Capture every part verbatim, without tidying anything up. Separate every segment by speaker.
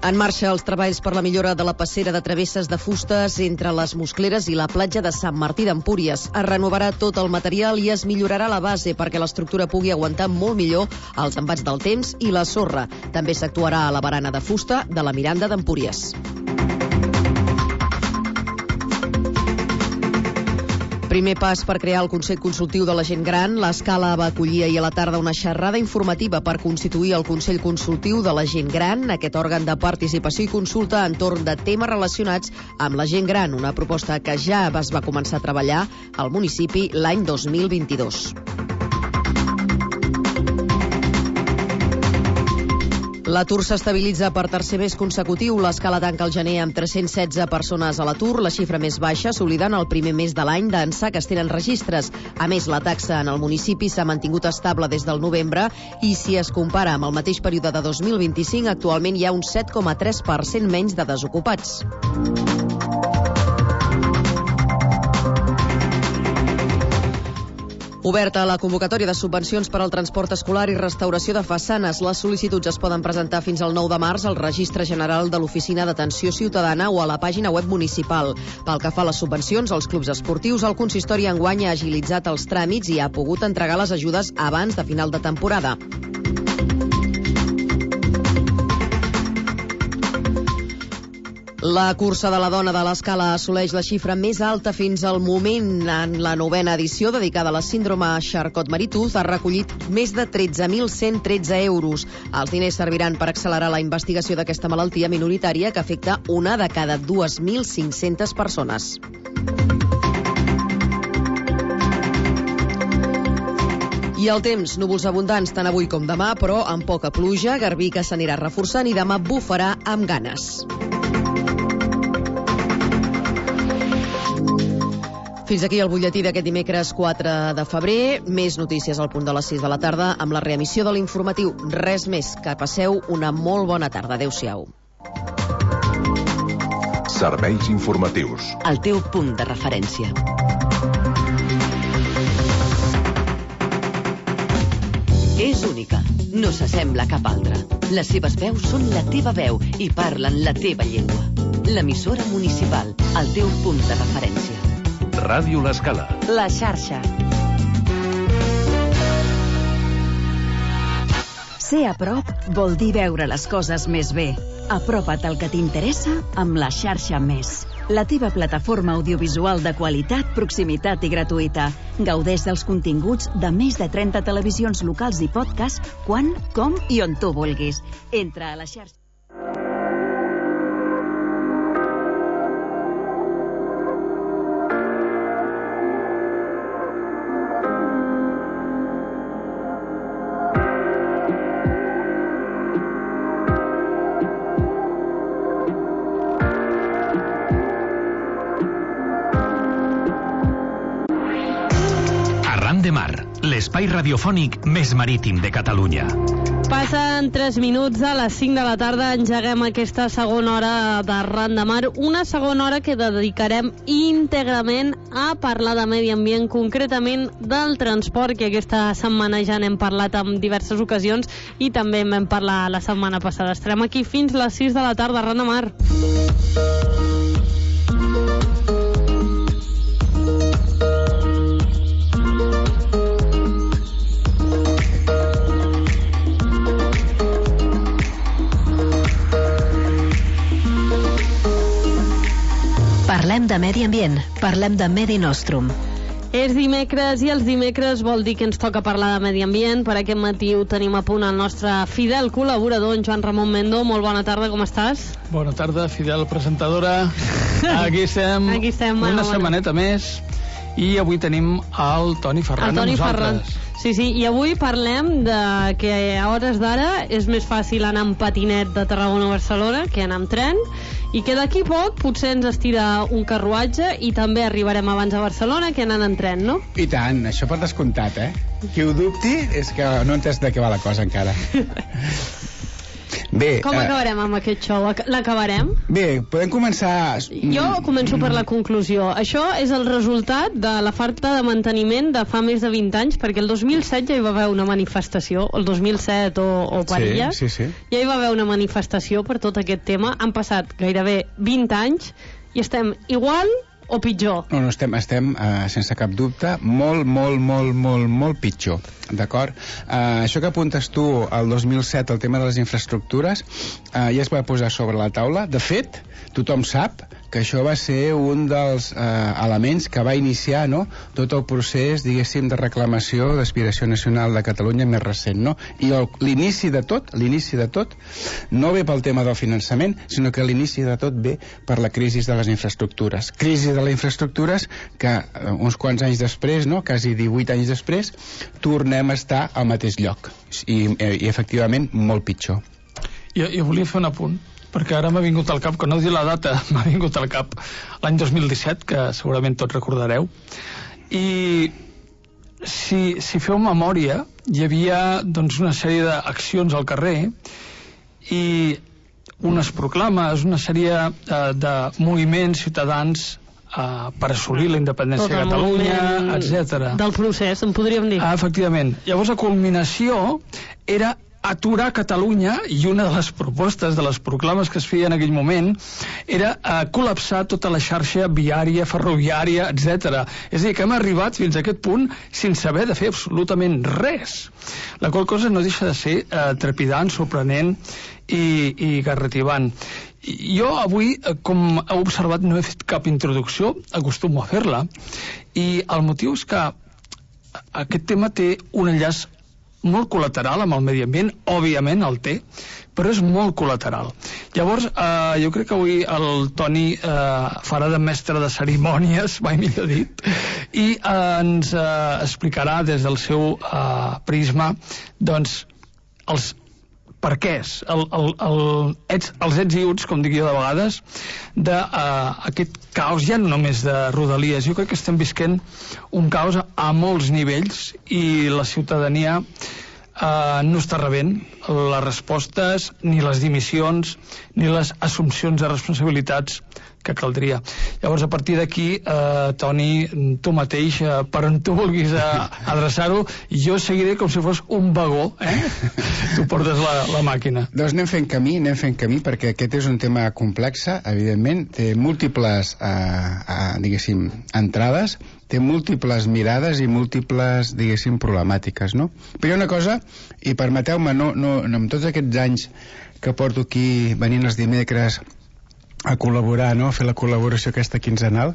Speaker 1: En marxa els treballs per la millora de la passera de travesses de fustes entre les Muscleres i la platja de Sant Martí d'Empúries. Es renovarà tot el material i es millorarà la base perquè l'estructura pugui aguantar molt millor els embats del temps i la sorra. També s'actuarà a la barana de fusta de la Miranda d'Empúries. Primer pas per crear el Consell Consultiu de la Gent Gran. L'Escala va acollir ahir a la tarda una xerrada informativa per constituir el Consell Consultiu de la Gent Gran, aquest òrgan de participació i consulta entorn de temes relacionats amb la gent gran, una proposta que ja es va començar a treballar al municipi l'any dos mil vint-i-dos. L'atur s'estabilitza per tercer mes consecutiu. L'Escala tanca el gener amb tres-cents setze persones a l'atur, la xifra més baixa, assolida en el primer mes de l'any d'ençà que es tenen registres. A més, la taxa en el municipi s'ha mantingut estable des del novembre i si es compara amb el mateix període de dos mil vint-i-cinc, actualment hi ha un set coma tres per cent menys de desocupats. Oberta la convocatòria de subvencions per al transport escolar i restauració de façanes. Les sol·licituds es poden presentar fins al nou de març al Registre General de l'Oficina d'Atenció Ciutadana o a la pàgina web municipal. Pel que fa a les subvencions als clubs esportius, el consistori enguany ha agilitzat els tràmits i ha pogut entregar les ajudes abans de final de temporada. La cursa de la dona de l'Escala assoleix la xifra més alta fins al moment. En la novena edició, dedicada a la síndrome Charcot-Marie-Tooth, ha recollit més de tretze mil cent tretze euros. Els diners serviran per accelerar la investigació d'aquesta malaltia minoritària que afecta una de cada dos mil cinc-centes persones. I el temps, núvols abundants tant avui com demà, però amb poca pluja, garbí que s'anirà reforçant i demà bufarà amb ganes. Fins aquí el butlletí d'aquest dimecres quatre de febrer. Més notícies al punt de les sis de la tarda amb la reemissió de l'informatiu. Res més, que passeu una molt bona tarda. Adéu-siau.
Speaker 2: Serveis informatius.
Speaker 3: El teu punt de referència. És única, no s'assembla a cap altra. Les seves veus són la teva veu i parlen la teva llengua. L'emissora municipal, el teu punt de referència.
Speaker 2: Ràdio L'Escala.
Speaker 3: La xarxa.
Speaker 4: Ser a prop vol dir veure les coses més bé. Apropa't al que t'interessa amb la xarxa Més. La teva plataforma audiovisual de qualitat, proximitat i gratuïta. Gaudeix dels continguts de més de trenta televisions locals i podcast quan, com i on tu vulguis. Entra a la xarxa.
Speaker 5: de Mar, l'espai radiofònic més marítim de Catalunya.
Speaker 6: Passen tres minuts a les cinc de la tarda, engeguem aquesta segona hora de Arran de Mar, una segona hora que dedicarem íntegrament a parlar de medi ambient, concretament del transport, que aquesta setmana ja n'hem parlat en diverses ocasions i també en vam parlar la setmana passada. Estarem aquí fins les sis de la tarda, Arran de Mar.
Speaker 4: Parlem de medi ambient, parlem de Medi Nostrum.
Speaker 6: És dimecres i els dimecres vol dir que ens toca parlar de medi ambient. Per aquest matí ho tenim a punt el nostre fidel col·laborador, en Joan Ramon Mendo. Molt bona tarda, com estàs?
Speaker 7: Bona tarda, fidel presentadora. Aquí estem,
Speaker 6: Aquí estem
Speaker 7: una
Speaker 6: bueno,
Speaker 7: setmaneta bueno. més. I avui tenim el Toni Ferran
Speaker 6: el Toni
Speaker 7: amb
Speaker 6: Ferran.
Speaker 7: nosaltres.
Speaker 6: Sí, sí, i avui parlem de que a hores d'ara és més fàcil anar amb patinet de Tarragona a Barcelona que anar amb tren, i que d'aquí poc potser ens estira un carruatge i també arribarem abans a Barcelona que anant en tren, no?
Speaker 8: I tant, això per descomptat, eh? Qui ho dubti és que no ha entès de què va la cosa encara. Bé,
Speaker 6: Com acabarem amb aquest show? L'acabarem?
Speaker 8: Bé, podem començar...
Speaker 6: Jo començo per la conclusió. Això és el resultat de la falta de manteniment de fa més de vint anys, perquè el dos mil set ja hi va haver una manifestació, el dos mil set o, o per allà,
Speaker 8: sí, sí, sí.
Speaker 6: ja hi va haver una manifestació per tot aquest tema. Han passat gairebé vint anys i estem igual o pitjor?
Speaker 8: No, no, estem, estem uh, sense cap dubte, molt, molt, molt, molt, molt pitjor, d'acord? Uh, això que apuntes tu al dos mil set, el tema de les infraestructures, uh, ja es va posar sobre la taula. De fet, tothom sap que això va ser un dels eh, elements que va iniciar, no?, tot el procés, diguéssim, de reclamació d'aspiració nacional de Catalunya més recent, no? I el, l'inici de tot, l'inici de tot, no ve pel tema del finançament, sinó que l'inici de tot ve per la crisi de les infraestructures. Crisi de les infraestructures que eh, uns quants anys després, no?, quasi divuit anys després, tornem a estar al mateix lloc. I, i, i efectivament, molt pitjor.
Speaker 7: Jo, jo volia fer un apunt, perquè ara m'ha vingut al cap, que no diu la data, m'ha vingut al cap l'any dos mil disset, que segurament tots recordareu, i si, si feu memòria, hi havia doncs, una sèrie d'accions al carrer i unes proclames, una sèrie eh, de moviments ciutadans Uh, per assolir la independència de Catalunya, etcètera.
Speaker 6: Del procés, en podríem dir.
Speaker 7: Ah, efectivament. Llavors, la culminació era aturar Catalunya, i una de les propostes de les proclames que es feia en aquell moment era uh, col·lapsar tota la xarxa viària, ferroviària, etcètera. És a dir, que hem arribat fins a aquest punt sense haver de fer absolutament res. La qual cosa no deixa de ser uh, trepidant, sorprenent i, i garrativant. Jo avui, com heu observat, no he fet cap introducció, acostumo a fer-la, i el motiu és que aquest tema té un enllaç molt col·lateral amb el medi ambient, òbviament el té, però és molt col·lateral. Llavors, eh, jo crec que avui el Toni eh, farà de mestre de cerimònies, mai millor dit, i eh, ens eh, explicarà des del seu eh, prisma, doncs, els per què és el, el, el, ets, els ets i uts, com dic jo de vegades, d'aquest uh, caos, ja no només de Rodalies. Jo crec que estem visquent un caos a, a molts nivells i la ciutadania uh, no està rebent les respostes, ni les dimissions, ni les assumpcions de responsabilitats que caldria. Llavors, a partir d'aquí, eh, Toni, tu mateix, eh, per on tu vulguis eh, adreçar-ho, jo seguiré com si fos un vagó, eh? Tu portes la, la màquina.
Speaker 8: Doncs anem fent camí, anem fent camí, perquè aquest és un tema complex, evidentment, té múltiples, eh, eh, diguéssim, entrades, té múltiples mirades i múltiples, diguéssim, problemàtiques, no? Però hi ha una cosa, i permeteu-me, no, no, no, amb tots aquests anys que porto aquí venint els dimecres a col·laborar, no?, a fer la col·laboració aquesta quinzenal,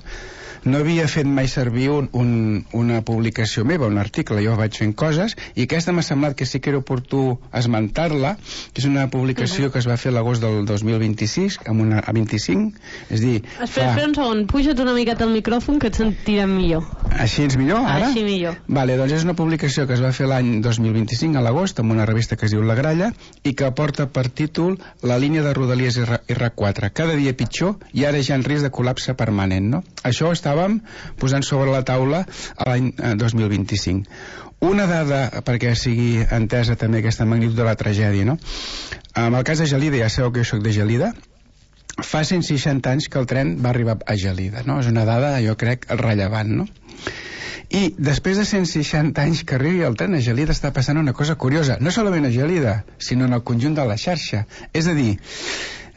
Speaker 8: no havia fet mai servir un, un, una publicació meva, un article. Jo vaig fent coses i aquesta m'ha semblat que sí que era oportú esmentar-la, que és una publicació uh-huh. que es va fer l'agost del dos mil vint-i-sis, amb una, a vint-i-cinc, és dir...
Speaker 6: Espera, fa... espera un segon, puja't una miqueta al micròfon que et sentirem millor.
Speaker 8: Així és millor, ara?
Speaker 6: Així millor.
Speaker 8: Vale, doncs és una publicació que es va fer l'any dos mil vint-i-cinc, a l'agost, amb una revista que es diu La Gralla, i que porta per títol La línia de Rodalies R quatre, cada dia pitjor i ara ja en risc de col·lapse permanent, no? Això estàvem posant sobre la taula l'any dos mil vint-i-cinc. Una dada, perquè sigui entesa també aquesta magnitud de la tragèdia, no? En el cas de Gelida, ja sabeu que jo soc de Gelida, fa cent seixanta anys que el tren va arribar a Gelida, no? És una dada, jo crec, rellevant, no? I després de cent seixanta anys que arribi el tren a Gelida està passant una cosa curiosa, no solament a Gelida, sinó en el conjunt de la xarxa. És a dir,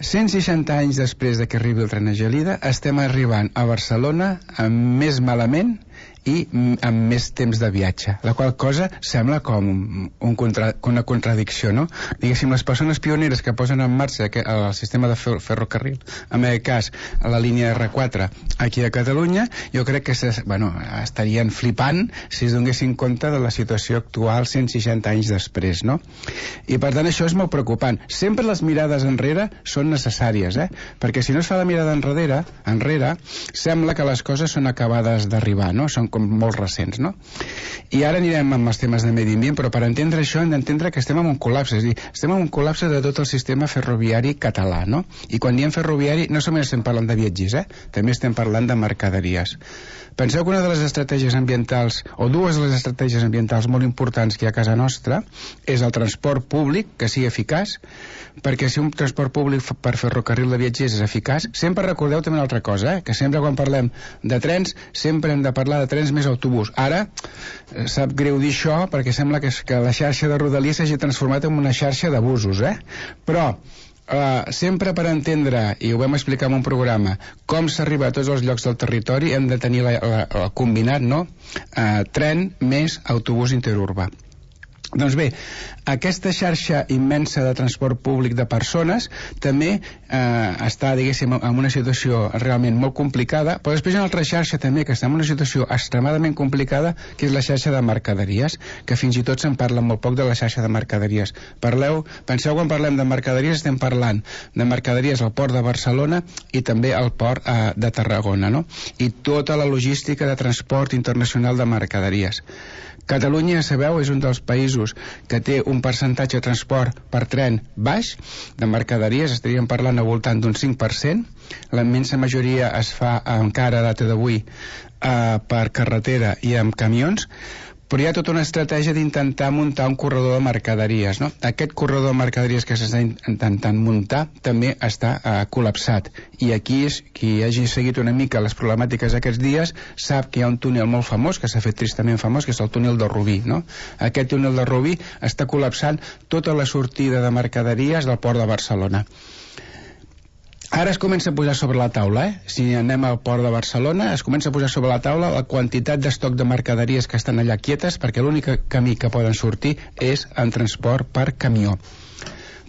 Speaker 8: cent seixanta anys després de que arribi el tren a Gelida, estem arribant a Barcelona amb més malament i amb més temps de viatge, la qual cosa sembla com un contra, una contradicció, no? Diguéssim, les persones pioneres que posen en marxa el sistema de ferrocarril, en aquest cas la línia R quatre aquí a Catalunya, jo crec que ses, bueno, estarien flipant si es donessin compte de la situació actual cent seixanta anys després, no? I per tant això és molt preocupant. Sempre les mirades enrere són necessàries, eh? Perquè si no es fa la mirada enrere, enrere sembla que les coses són acabades d'arribar, no? Són com molt recents, no? I ara anirem amb els temes de medi ambient, però per entendre això hem d'entendre que estem en un col·lapse, és a dir, estem en un col·lapse de tot el sistema ferroviari català, no? I quan diem ferroviari no només estem parlant de viatgers, eh? També estem parlant de mercaderies. Penseu que una de les estratègies ambientals, o dues de les estratègies ambientals molt importants que hi ha a casa nostra, és el transport públic, que sigui eficaç, perquè si un transport públic per ferrocarril de viatgers és eficaç, sempre recordeu també una altra cosa, eh? Que sempre quan parlem de trens, sempre hem de parlar de trens més autobús. Ara, sap greu dir això, perquè sembla que, que la xarxa de Rodalies s'hagi transformat en una xarxa d'abusos, eh? Però Uh, sempre per entendre, i ho vam explicar en un programa, com s'arriba a tots els llocs del territori, hem de tenir la, la, el combinat, no? Uh, tren més autobús interurbà. Doncs bé, aquesta xarxa immensa de transport públic de persones també eh, està, diguéssim, en una situació realment molt complicada, però després hi ha una altra xarxa també que està en una situació extremadament complicada, que és la xarxa de mercaderies, que fins i tot se'n parla molt poc de la xarxa de mercaderies. Parleu, penseu quan parlem de mercaderies, estem parlant de mercaderies al port de Barcelona i també al port eh, de Tarragona, no? I tota la logística de transport internacional de mercaderies. Catalunya, sabeu, és un dels països que té un percentatge de transport per tren baix, de mercaderies, estaríem parlant al voltant d'un cinc per cent. La immensa majoria es fa encara a data d'avui eh, per carretera i amb camions, però hi ha tota una estratègia d'intentar muntar un corredor de mercaderies, no? Aquest corredor de mercaderies que s'està intentant muntar també està eh, col·lapsat, i aquí és, qui hagi seguit una mica les problemàtiques aquests dies sap que hi ha un túnel molt famós, que s'ha fet tristament famós, que és el túnel de Rubí, no? Aquest túnel de Rubí està col·lapsant tota la sortida de mercaderies del port de Barcelona. Ara es comença a posar sobre la taula, eh? Si anem al port de Barcelona, es comença a posar sobre la taula la quantitat d'estoc de mercaderies que estan allà quietes, perquè l'únic camí que poden sortir és en transport per camió.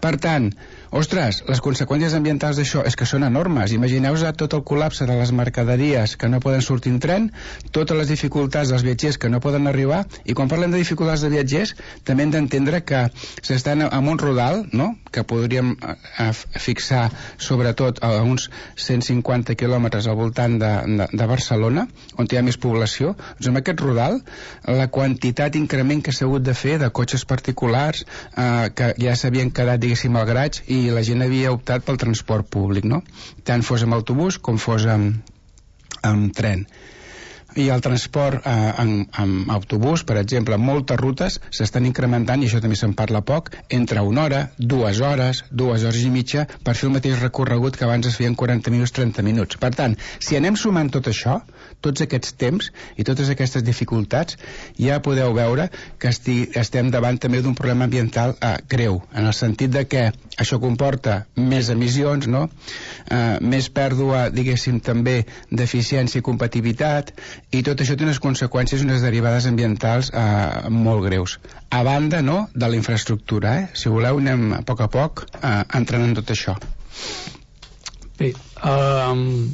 Speaker 8: Per tant, ostres, les conseqüències ambientals d'això és que són enormes. Imagineu-vos tot el col·lapse de les mercaderies que no poden sortir en tren, totes les dificultats dels viatgers que no poden arribar, i quan parlem de dificultats de viatgers també hem d'entendre que s'estan en un rodal, no?, que podríem eh, fixar sobretot a uns cent cinquanta quilòmetres al voltant de, de, de Barcelona, on hi ha més població. Doncs en aquest rodal la quantitat d'increment que s'ha hagut de fer de cotxes particulars eh, que ja s'havien quedat, diguéssim, al graig, i la gent havia optat pel transport públic, no? Tant fos amb autobús com fos amb, amb tren. I el transport eh, en, en autobús, per exemple, moltes rutes s'estan incrementant, i això també se'n parla poc, entre una hora, dues hores, dues hores i mitja, per fer el mateix recorregut que abans es feien quaranta minuts, trenta minuts. Per tant, si anem sumant tot això, tots aquests temps i totes aquestes dificultats, ja podeu veure que esti, estem davant també d'un problema ambiental eh, greu, en el sentit de que això comporta més emissions, no? Eh, més pèrdua, diguéssim, també d'eficiència i competitivitat, i tot això té unes conseqüències i unes derivades ambientals eh, molt greus. A banda, no?, de la infraestructura, eh? Si voleu anem a poc a poc eh, entrant en tot això.
Speaker 7: Bé, um,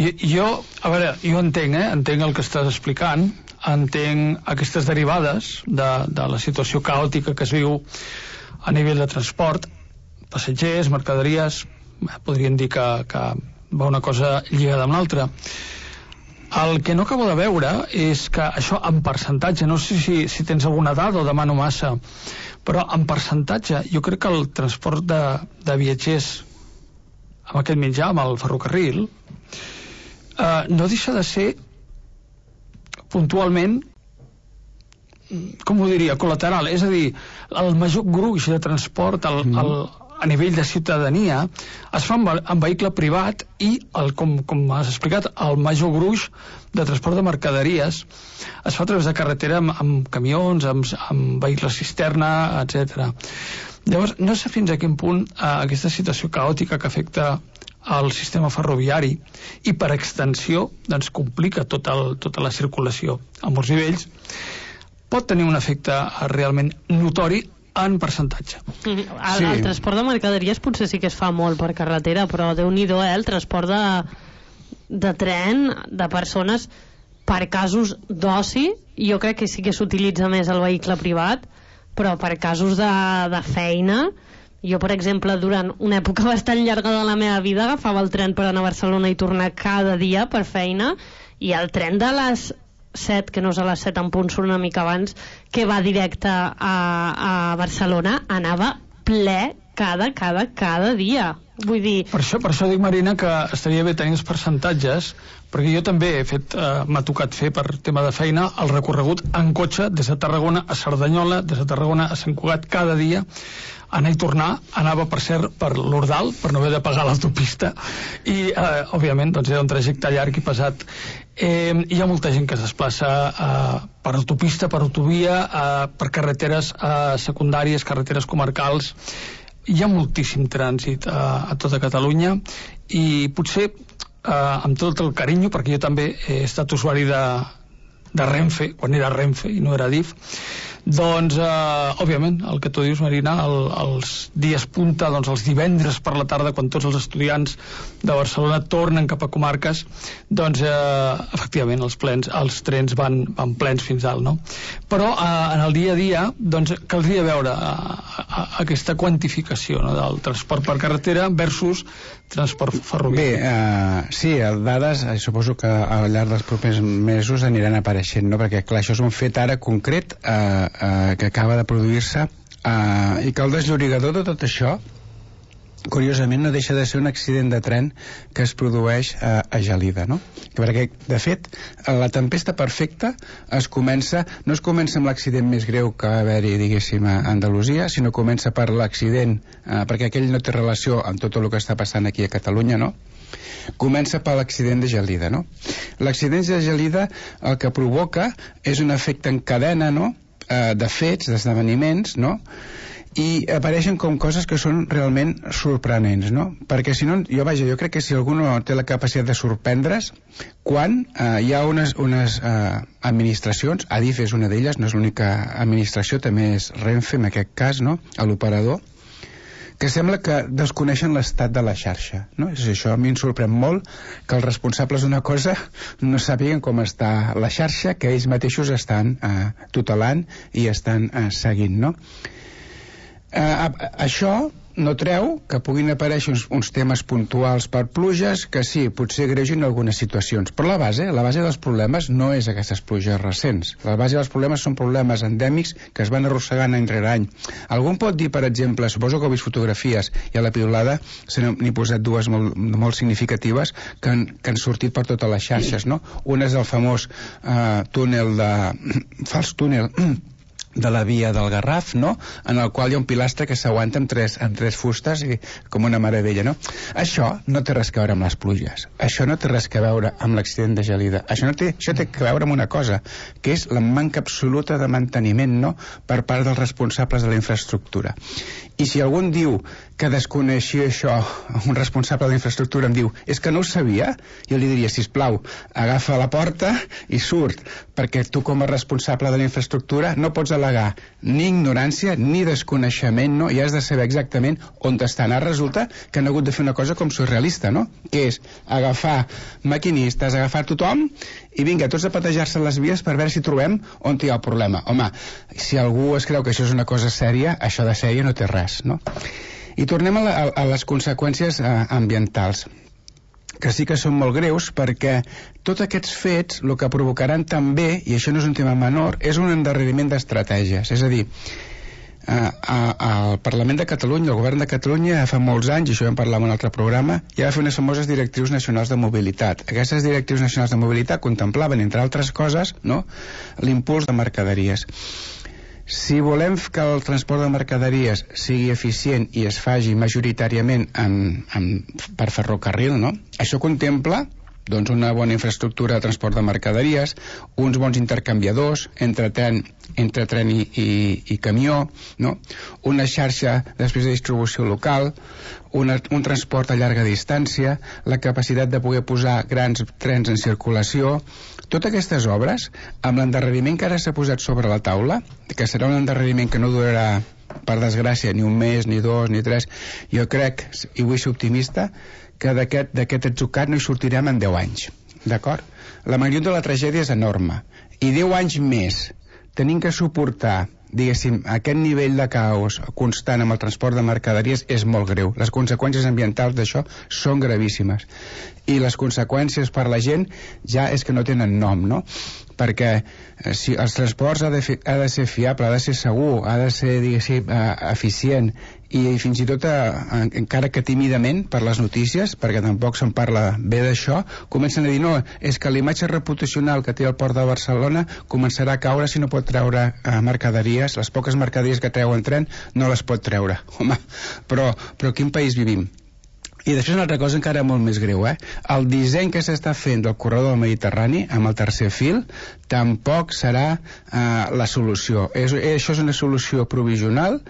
Speaker 7: i, jo, a veure, jo entenc, eh? Entenc el que estàs explicant, entenc aquestes derivades de, de la situació caòtica que es viu a nivell de transport, passatgers, mercaderies, podríem dir que, que va una cosa lligada amb l'altra. El que no acabo de veure és que això en percentatge, no sé si, si tens alguna dada o demano massa, però en percentatge jo crec que el transport de, de viatgers amb aquest mitjà, amb el ferrocarril, eh, no deixa de ser puntualment, com ho diria, col·lateral, és a dir, el major gruix de transport el, mm. el, a nivell de ciutadania es fa amb, amb vehicle privat, i el, com, com has explicat, el major gruix de transport de mercaderies es fa a través de carretera amb, amb camions, amb, amb vehicles cisterna, etcètera. Llavors, no sé fins a quin punt eh, aquesta situació caòtica que afecta al sistema ferroviari i per extensió doncs, complica tot el, tota la circulació a molts nivells, pot tenir un efecte realment notori en percentatge.
Speaker 6: El, sí. el transport de mercaderies potser sí que es fa molt per carretera, però Déu-n'hi-do, eh, el transport de, de tren, de persones, per casos d'oci, jo crec que sí que s'utilitza més el vehicle privat, però per casos de, de feina, jo, per exemple, durant una època bastant llarga de la meva vida agafava el tren per anar a Barcelona i tornar cada dia per feina, i el tren de les set, que no és a les set en punt, surt una mica abans, que va directe a, a Barcelona, anava ple cada, cada, cada dia. Vull dir...
Speaker 7: Per això, per això dic, Marina, que estaria bé tenir els percentatges, perquè jo també he fet, eh, m'ha tocat fer per tema de feina el recorregut en cotxe des de Tarragona a Cerdanyola, des de Tarragona a Sant Cugat, cada dia, anar i tornar. Anava, per cert, per l'Ordal, per no haver de pagar l'autopista, i, eh, òbviament, doncs era un trajecte llarg i pesat. Eh, hi ha molta gent que es desplaça eh, per autopista, per autovia, eh, per carreteres eh, secundàries, carreteres comarcals. Hi ha moltíssim trànsit a, a tota Catalunya, i potser eh, amb tot el carinyo, perquè jo també he estat usuari de, de Renfe, quan era Renfe i no era D I F, doncs, eh, òbviament, el que tu dius, Marina, el, els dies punta, doncs els divendres per la tarda, quan tots els estudiants de Barcelona tornen cap a comarques, doncs, eh, efectivament, els, plens, els trens van, van plens fins dalt, no? Però eh, en el dia a dia, doncs, caldria veure eh, aquesta quantificació, no?, del transport per carretera versus transport ferroviari.
Speaker 8: Bé, uh, sí, dades, eh, suposo que al llarg dels propers mesos aniran apareixent, no?, perquè, clar, això és un fet ara concret, eh, uh, uh, que acaba de produir-se, uh, i que el desllorigador de tot això, curiosament, no deixa de ser un accident de tren que es produeix a, a Gelida, no? Perquè, de fet, la tempesta perfecta es comença, no es comença amb l'accident més greu que va haver-hi, diguéssim, a Andalusia, sinó comença per l'accident, eh, perquè aquell no té relació amb tot el que està passant aquí a Catalunya, no? Comença per l'accident de Gelida, no? L'accident de Gelida el que provoca és un efecte en cadena, no?, eh, de fets, d'esdeveniments, no?, i apareixen com coses que són realment sorprenents, no? Perquè si no, jo vaja, jo crec que si algú no té la capacitat de sorprendre's, quan eh, hi ha unes, unes eh, administracions, Adif és una d'elles, no és l'única administració, també és Renfe en aquest cas, no?, a l'operador, que sembla que desconeixen l'estat de la xarxa, no? És això, a mi em sorprèn molt que els responsables d'una cosa no sàpiguen com està la xarxa, que ells mateixos estan eh, tutelant i estan eh, seguint, no? Uh, això no treu que puguin aparèixer uns, uns temes puntuals per pluges que sí, potser greugen algunes situacions, però la base, la base dels problemes no és aquestes pluges recents. La base dels problemes són problemes endèmics que es van arrossegant any rere any. Algú pot dir, per exemple, suposo que heu vist fotografies, i a la piulada se n'he posat dues molt, molt significatives que han, que han sortit per totes les xarxes, no? Una és el famós uh, túnel de... fals túnel de la via del Garraf, no?, en el qual hi ha un pilastre que s'aguanta amb tres, amb tres fustes i com una meravella, no? Això no té res a veure amb les pluges, això no té res a veure amb l'accident de Gelida, això, no té, això té a veure amb una cosa, que és la manca absoluta de manteniment, no?, per part dels responsables de la infraestructura. I si algú diu que desconeixia això, un responsable de la infraestructura em diu, és que no ho sabia, jo li diria, sisplau, agafa la porta i surt, perquè tu com a responsable de la infraestructura no pots al·legar ni ignorància ni desconeixement, no? I has de saber exactament on t'estan. Ara resulta que han hagut de fer una cosa com surrealista, no?, que és agafar maquinistes, agafar tothom i vinga, tots a patejar-se les vies per veure si trobem on hi ha el problema. Home, si algú es creu que això és una cosa sèria, això de sèria no té res, no? I tornem a, la, a les conseqüències eh, ambientals, que sí que són molt greus, perquè tots aquests fets el que provocaran també, i això no és un tema menor, és un endarreriment d'estratègies. És a dir, eh, al Parlament de Catalunya, el Govern de Catalunya, fa molts anys, i això vam parlar en un altre programa, ja va fer unes famoses directrius nacionals de mobilitat. Aquestes directrius nacionals de mobilitat contemplaven, entre altres coses, no?, l'impuls de mercaderies. Si volem que el transport de mercaderies sigui eficient i es faci majoritàriament en, en, per ferrocarril, no?, això contempla doncs, una bona infraestructura de transport de mercaderies, uns bons intercanviadors entre tren, entre tren i, i, i camió, no?, una xarxa després de distribució local, una, un transport a llarga distància, la capacitat de poder posar grans trens en circulació. Totes aquestes obres, amb l'endarreriment que ara s'ha posat sobre la taula, que serà un endarreriment que no durarà, per desgràcia, ni un mes, ni dos, ni tres, jo crec, i vull ser optimista, que d'aquest d'aquest atzucat no hi sortirem en deu anys, d'acord? La magnitud de la tragèdia és enorme, i deu anys més tenim que suportar, diguéssim, aquest nivell de caos constant amb el transport de mercaderies és molt greu. Les conseqüències ambientals d'això són gravíssimes, i les conseqüències per la gent ja és que no tenen nom, no? perquè eh, si els transports ha de, fi, ha de ser fiable, ha de ser segur, ha de ser, diguéssim, eh, eficient, i fins i tot eh, encara que tímidament per les notícies, perquè tampoc se'n parla bé d'això, comencen a dir no, és que l'imatge reputacional que té el port de Barcelona començarà a caure si no pot treure eh, mercaderies, les poques mercaderies que treu en tren no les pot treure. Home, però, però quin país vivim? I després una altra cosa encara molt més greu, eh? El disseny que s'està fent del corredor del Mediterrani amb el tercer fil tampoc serà eh, la solució. És, això és una solució provisional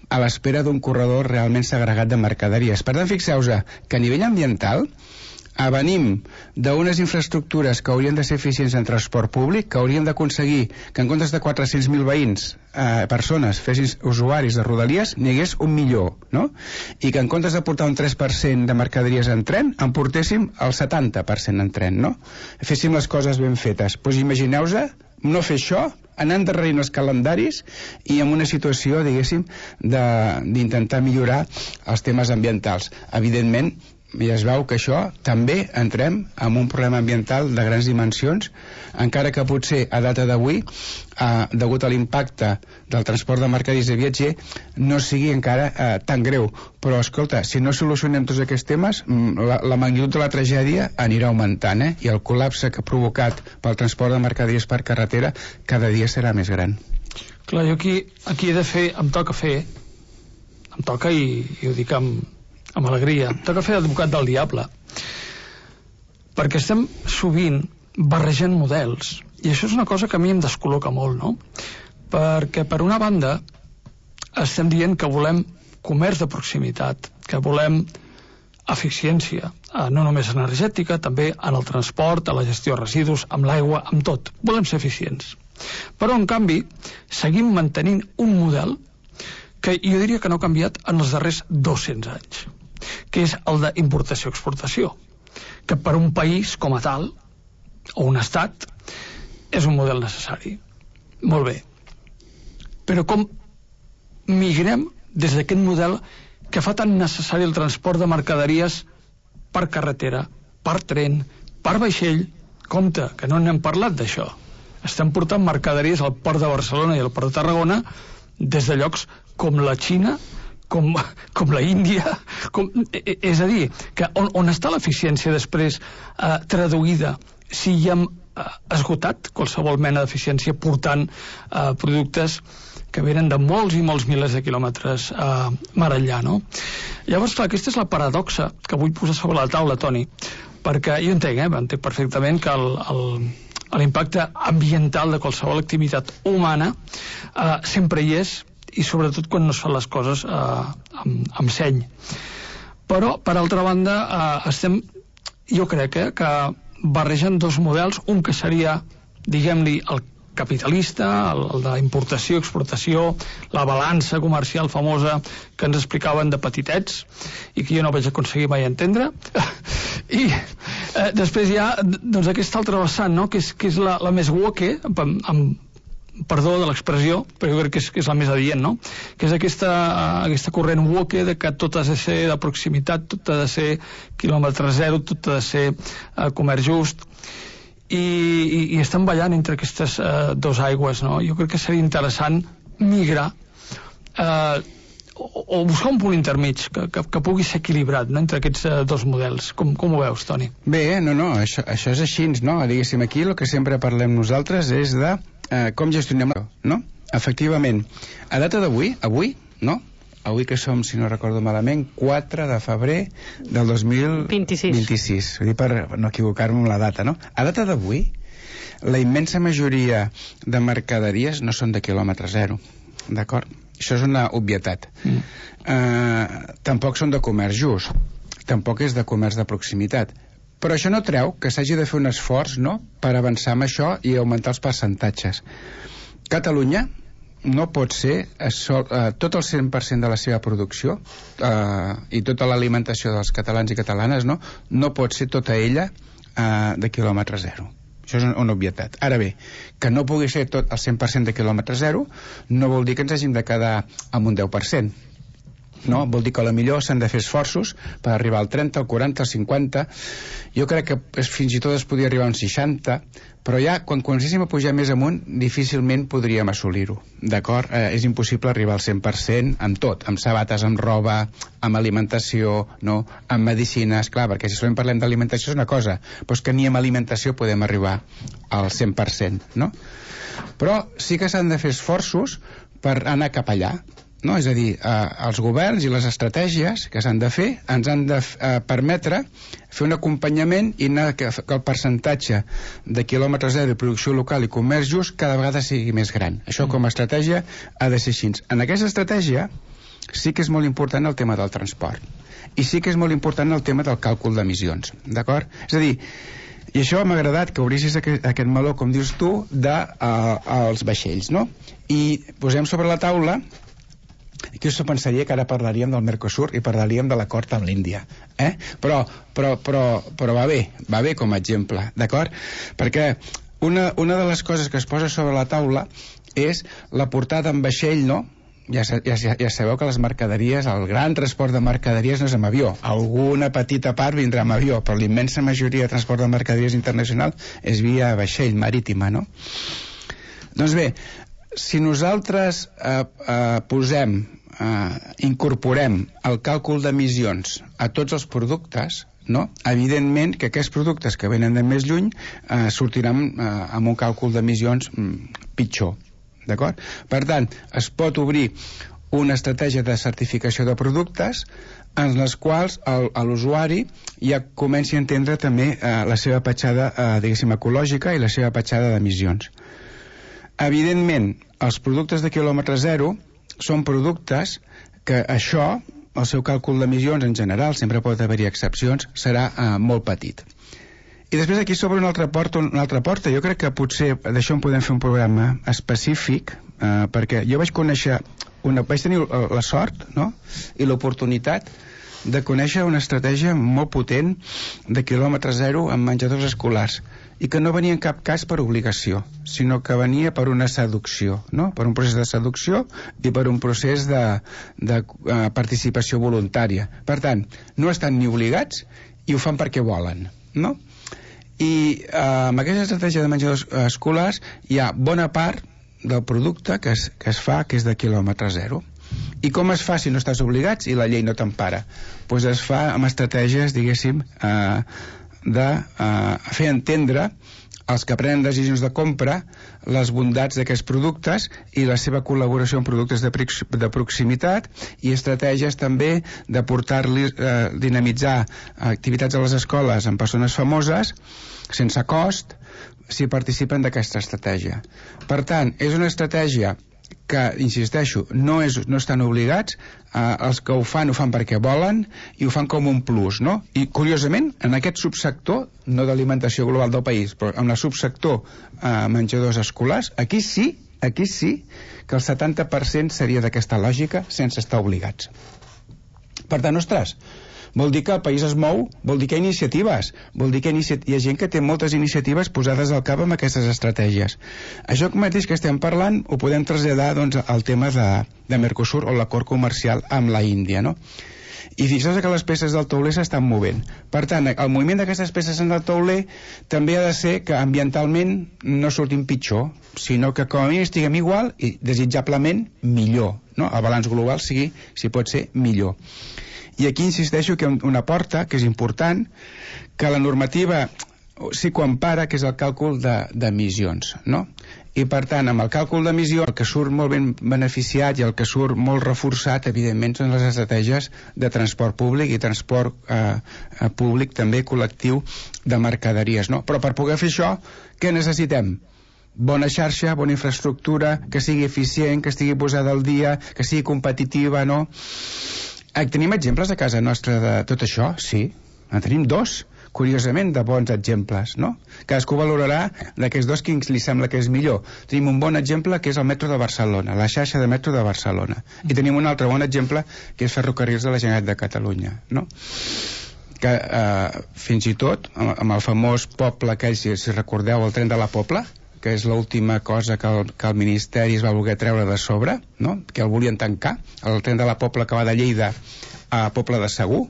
Speaker 8: a l'espera d'un corredor realment segregat de mercaderies. Per tant, fixeu-vos que a nivell ambiental eh, venim d'unes infraestructures que haurien de ser eficients en transport públic, que hauríem d'aconseguir que en comptes de quatre-cents mil veïns, eh, persones, fessin usuaris de Rodalies, n'hi hagués un milió, no? I que en comptes de portar un tres per cent de mercaderies en tren, en portéssim el setanta per cent en tren, no? Féssim les coses ben fetes. Doncs imagineu-vos no fer això, anar endarrerint els calendaris i en una situació, diguéssim, d'intentar millorar els temes ambientals. Evidentment, i es veu que això també entrem en un problema ambiental de grans dimensions, encara que potser a data d'avui, eh, degut a l'impacte del transport de mercaderies i viatger, no sigui encara eh, tan greu. Però, escolta, si no solucionem tots aquests temes, la, la magnitud de la tragèdia anirà augmentant, eh? I el col·lapse que ha provocat pel transport de mercaderies per carretera cada dia serà més gran.
Speaker 7: Clar, jo aquí, aquí he de fer, em toca fer, em toca i, i ho dic amb amb alegria, toca fer d'advocat del diable, perquè estem sovint barrejant models, i això és una cosa que a mi em descol·loca molt, no? Perquè per una banda estem dient que volem comerç de proximitat, que volem eficiència, no només energètica, també en el transport, a la gestió de residus, amb l'aigua, amb tot. Volem ser eficients. Però, en canvi, seguim mantenint un model que jo diria que no ha canviat en els darrers dos-cents anys, que és el d'importació-exportació, que per un país com a tal, o un estat, és un model necessari. Molt bé. Però com migrem des d'aquest model que fa tan necessari el transport de mercaderies per carretera, per tren, per vaixell? Compte, que no n'hem parlat d'això. Estem portant mercaderies al port de Barcelona i al port de Tarragona des de llocs com la Xina, com, com la Índia, com, és a dir, que on, on està l'eficiència després eh, traduïda si hi hem eh, esgotat qualsevol mena d'eficiència portant eh, productes que venen de molts i molts milers de quilòmetres eh, mar enllà, no? Llavors, clar, aquesta és la paradoxa que vull posar sobre la taula, Toni, perquè jo entenc, eh, entenc perfectament que el, el, l'impacte ambiental de qualsevol activitat humana eh, sempre hi és, i sobretot quan no es fan les coses eh, amb, amb seny. Però, per altra banda, eh, estem, jo crec eh, que barregen dos models, un que seria, diguem-li, el capitalista, el, el de importació, exportació, la balança comercial famosa que ens explicaven de petitets i que jo no vaig aconseguir mai entendre. I eh, després hi ha doncs, aquesta altra vessant, no? que és, que és la, la més woke, amb, amb perdó de l'expressió, però jo crec que és, que és la més adient, no? Que és aquesta, aquesta corrent woke de que tot ha de ser de proximitat, tot ha de ser quilòmetre zero, tot ha de ser eh, comerç just, i, i, i estan ballant entre aquestes eh, dos aigües, no? Jo crec que seria interessant migrar eh, o, o buscar un punt intermig que, que, que pugui ser equilibrat, no? Entre aquests eh, dos models. Com, com ho veus, Toni?
Speaker 8: Bé, no, no, això, això és així, no? Diguéssim, aquí el que sempre parlem nosaltres és de eh, com gestionem, no? Efectivament, a data d'avui, avui, no? Avui que som, si no recordo malament, quatre de febrer del dos mil vint-i-sis. Vull dir, per no equivocar-me amb la data, no? A data d'avui, la immensa majoria de mercaderies no són de quilòmetre zero, d'acord? Això és una obvietat. Mm. Eh, tampoc són de comerç just, tampoc és de comerç de proximitat. Però això no treu que s'hagi de fer un esforç, no?, per avançar amb això i augmentar els percentatges. Catalunya no pot ser sol, eh, tot el cent per cent de la seva producció eh, i tota l'alimentació dels catalans i catalanes, no, no pot ser tota ella eh, de quilòmetre zero. Això és una obvietat. Ara bé, que no pugui ser tot el cent per cent de quilòmetre zero no vol dir que ens hàgim de quedar amb un deu per cent. no? Vol dir que potser s'han de fer esforços per arribar al trenta, al quaranta, al cinquanta. Jo crec que fins i tot es podria arribar a un seixanta, però ja quan comencéssim a pujar més amunt difícilment podríem assolir-ho, d'acord? Eh, és impossible arribar al cent per cent amb tot, amb sabates, amb roba, amb alimentació, no? Amb medicines, clar, perquè si solament parlem d'alimentació és una cosa, però és que ni amb alimentació podem arribar al cent per cent, no? Però sí que s'han de fer esforços per anar cap allà, no? És a dir, eh, els governs i les estratègies que s'han de fer ens han de eh, permetre fer un acompanyament i anar que, que el percentatge de quilòmetre zero, producció local i comerç just cada vegada sigui més gran. Això com a estratègia ha de ser així. En aquesta estratègia sí que és molt important el tema del transport i sí que és molt important el tema del càlcul d'emissions, d'acord? És a dir, i això m'ha agradat que obrissis aquest, aquest meló, com dius tu, dels uh, vaixells, no? I posem sobre la taula. Aquí us pensaria que ara parlaríem del Mercosur i parlaríem de l'acord amb l'Índia, eh? Però, però, però, però va bé, va bé com a exemple, d'acord? Perquè una, una de les coses que es posa sobre la taula és la portada en vaixell, no? Ja, ja, ja sabeu que les mercaderies, el gran transport de mercaderies no és amb avió. Alguna petita part vindrà amb avió, però l'immensa majoria de transport de mercaderies internacional és via vaixell marítima, no? Doncs bé, si nosaltres eh, eh, posem, eh, incorporem el càlcul d'emissions a tots els productes, no? Evidentment que aquests productes que venen de més lluny eh, sortiran eh, amb un càlcul d'emissions mm, pitjor, d'acord? Per tant, es pot obrir una estratègia de certificació de productes en les quals l'usuari ja comenci a entendre també eh, la seva petjada, eh, diguéssim, ecològica i la seva petjada d'emissions. Evidentment, els productes de quilòmetre zero són productes que això, el seu càlcul d'emissions en general, sempre pot haver-hi excepcions, serà eh, molt petit. I després aquí s'obre una altra porta, una altra porta. Jo crec que potser d'això en podem fer un programa específic, eh, perquè jo vaig conèixer, una, vaig tenir la sort, no?, i l'oportunitat de conèixer una estratègia molt potent de quilòmetre zero amb menjadors escolars, i que no venia en cap cas per obligació, sinó que venia per una seducció, no?, per un procés de seducció i per un procés de, de uh, participació voluntària. Per tant, no estan ni obligats i ho fan perquè volen, no? I eh, amb aquesta estratègia de menjadors escolars hi ha bona part del producte que es, que es fa que és de quilòmetre zero. I com es fa si no estàs obligats i la llei no t'empara? Doncs es fa amb estratègies, diguéssim, eh, de eh, fer entendre als que prenen decisions de compra les bondats d'aquests productes i la seva col·laboració amb productes de, de proximitat, i estratègies també de portar-li, eh, dinamitzar activitats a les escoles amb persones famoses sense cost si participen d'aquesta estratègia. Per tant, és una estratègia que, insisteixo, no, és, no estan obligats, eh, els que ho fan ho fan perquè volen i ho fan com un plus, no? I curiosament, en aquest subsector, no d'alimentació global del país, però en el subsector eh, menjadors escolars, aquí sí, aquí sí que el setanta per cent seria d'aquesta lògica sense estar obligats. Per tant, ostres, vol dir que el país es mou, vol dir que hi ha iniciatives, vol dir que hi ha, hi ha gent que té moltes iniciatives posades al cap amb aquestes estratègies. Això mateix que estem parlant ho podem traslladar, doncs, al tema de, de Mercosur o l'acord comercial amb la Índia, no? I fixeu que les peces del tauler s'estan movent. Per tant, el moviment d'aquestes peces en el tauler també ha de ser que ambientalment no surtin pitjor, sinó que com a mínim estiguem igual i desitjablement millor, no? El balanç global sigui, si pot ser, millor. I aquí insisteixo que una porta, que és important, que la normativa sí que ho empara, que és el càlcul d'emissions, de, no? I per tant, amb el càlcul d'emissió, el que surt molt ben beneficiat i el que surt molt reforçat, evidentment, són les estratègies de transport públic i transport eh, públic també col·lectiu de mercaderies, no? Però per poder fer això, què necessitem? Bona xarxa, bona infraestructura, que sigui eficient, que estigui posada al dia, que sigui competitiva, no? Tenim exemples a casa nostra de tot això? Sí, en tenim dos, curiosament, de bons exemples, no? Cadascú valorarà d'aquests dos quins li sembla que és millor. Tenim un bon exemple que és el metro de Barcelona, la xarxa de metro de Barcelona, i tenim un altre bon exemple que és Ferrocarrils de la Generalitat de Catalunya, no? Que eh, fins i tot amb el famós poble aquell, si, si recordeu, el tren de la Pobla, que és l'última cosa que el, que el Ministeri es va voler treure de sobre, no? Que el volien tancar, el tren de la Pobla que va de Lleida a Pobla de Segur,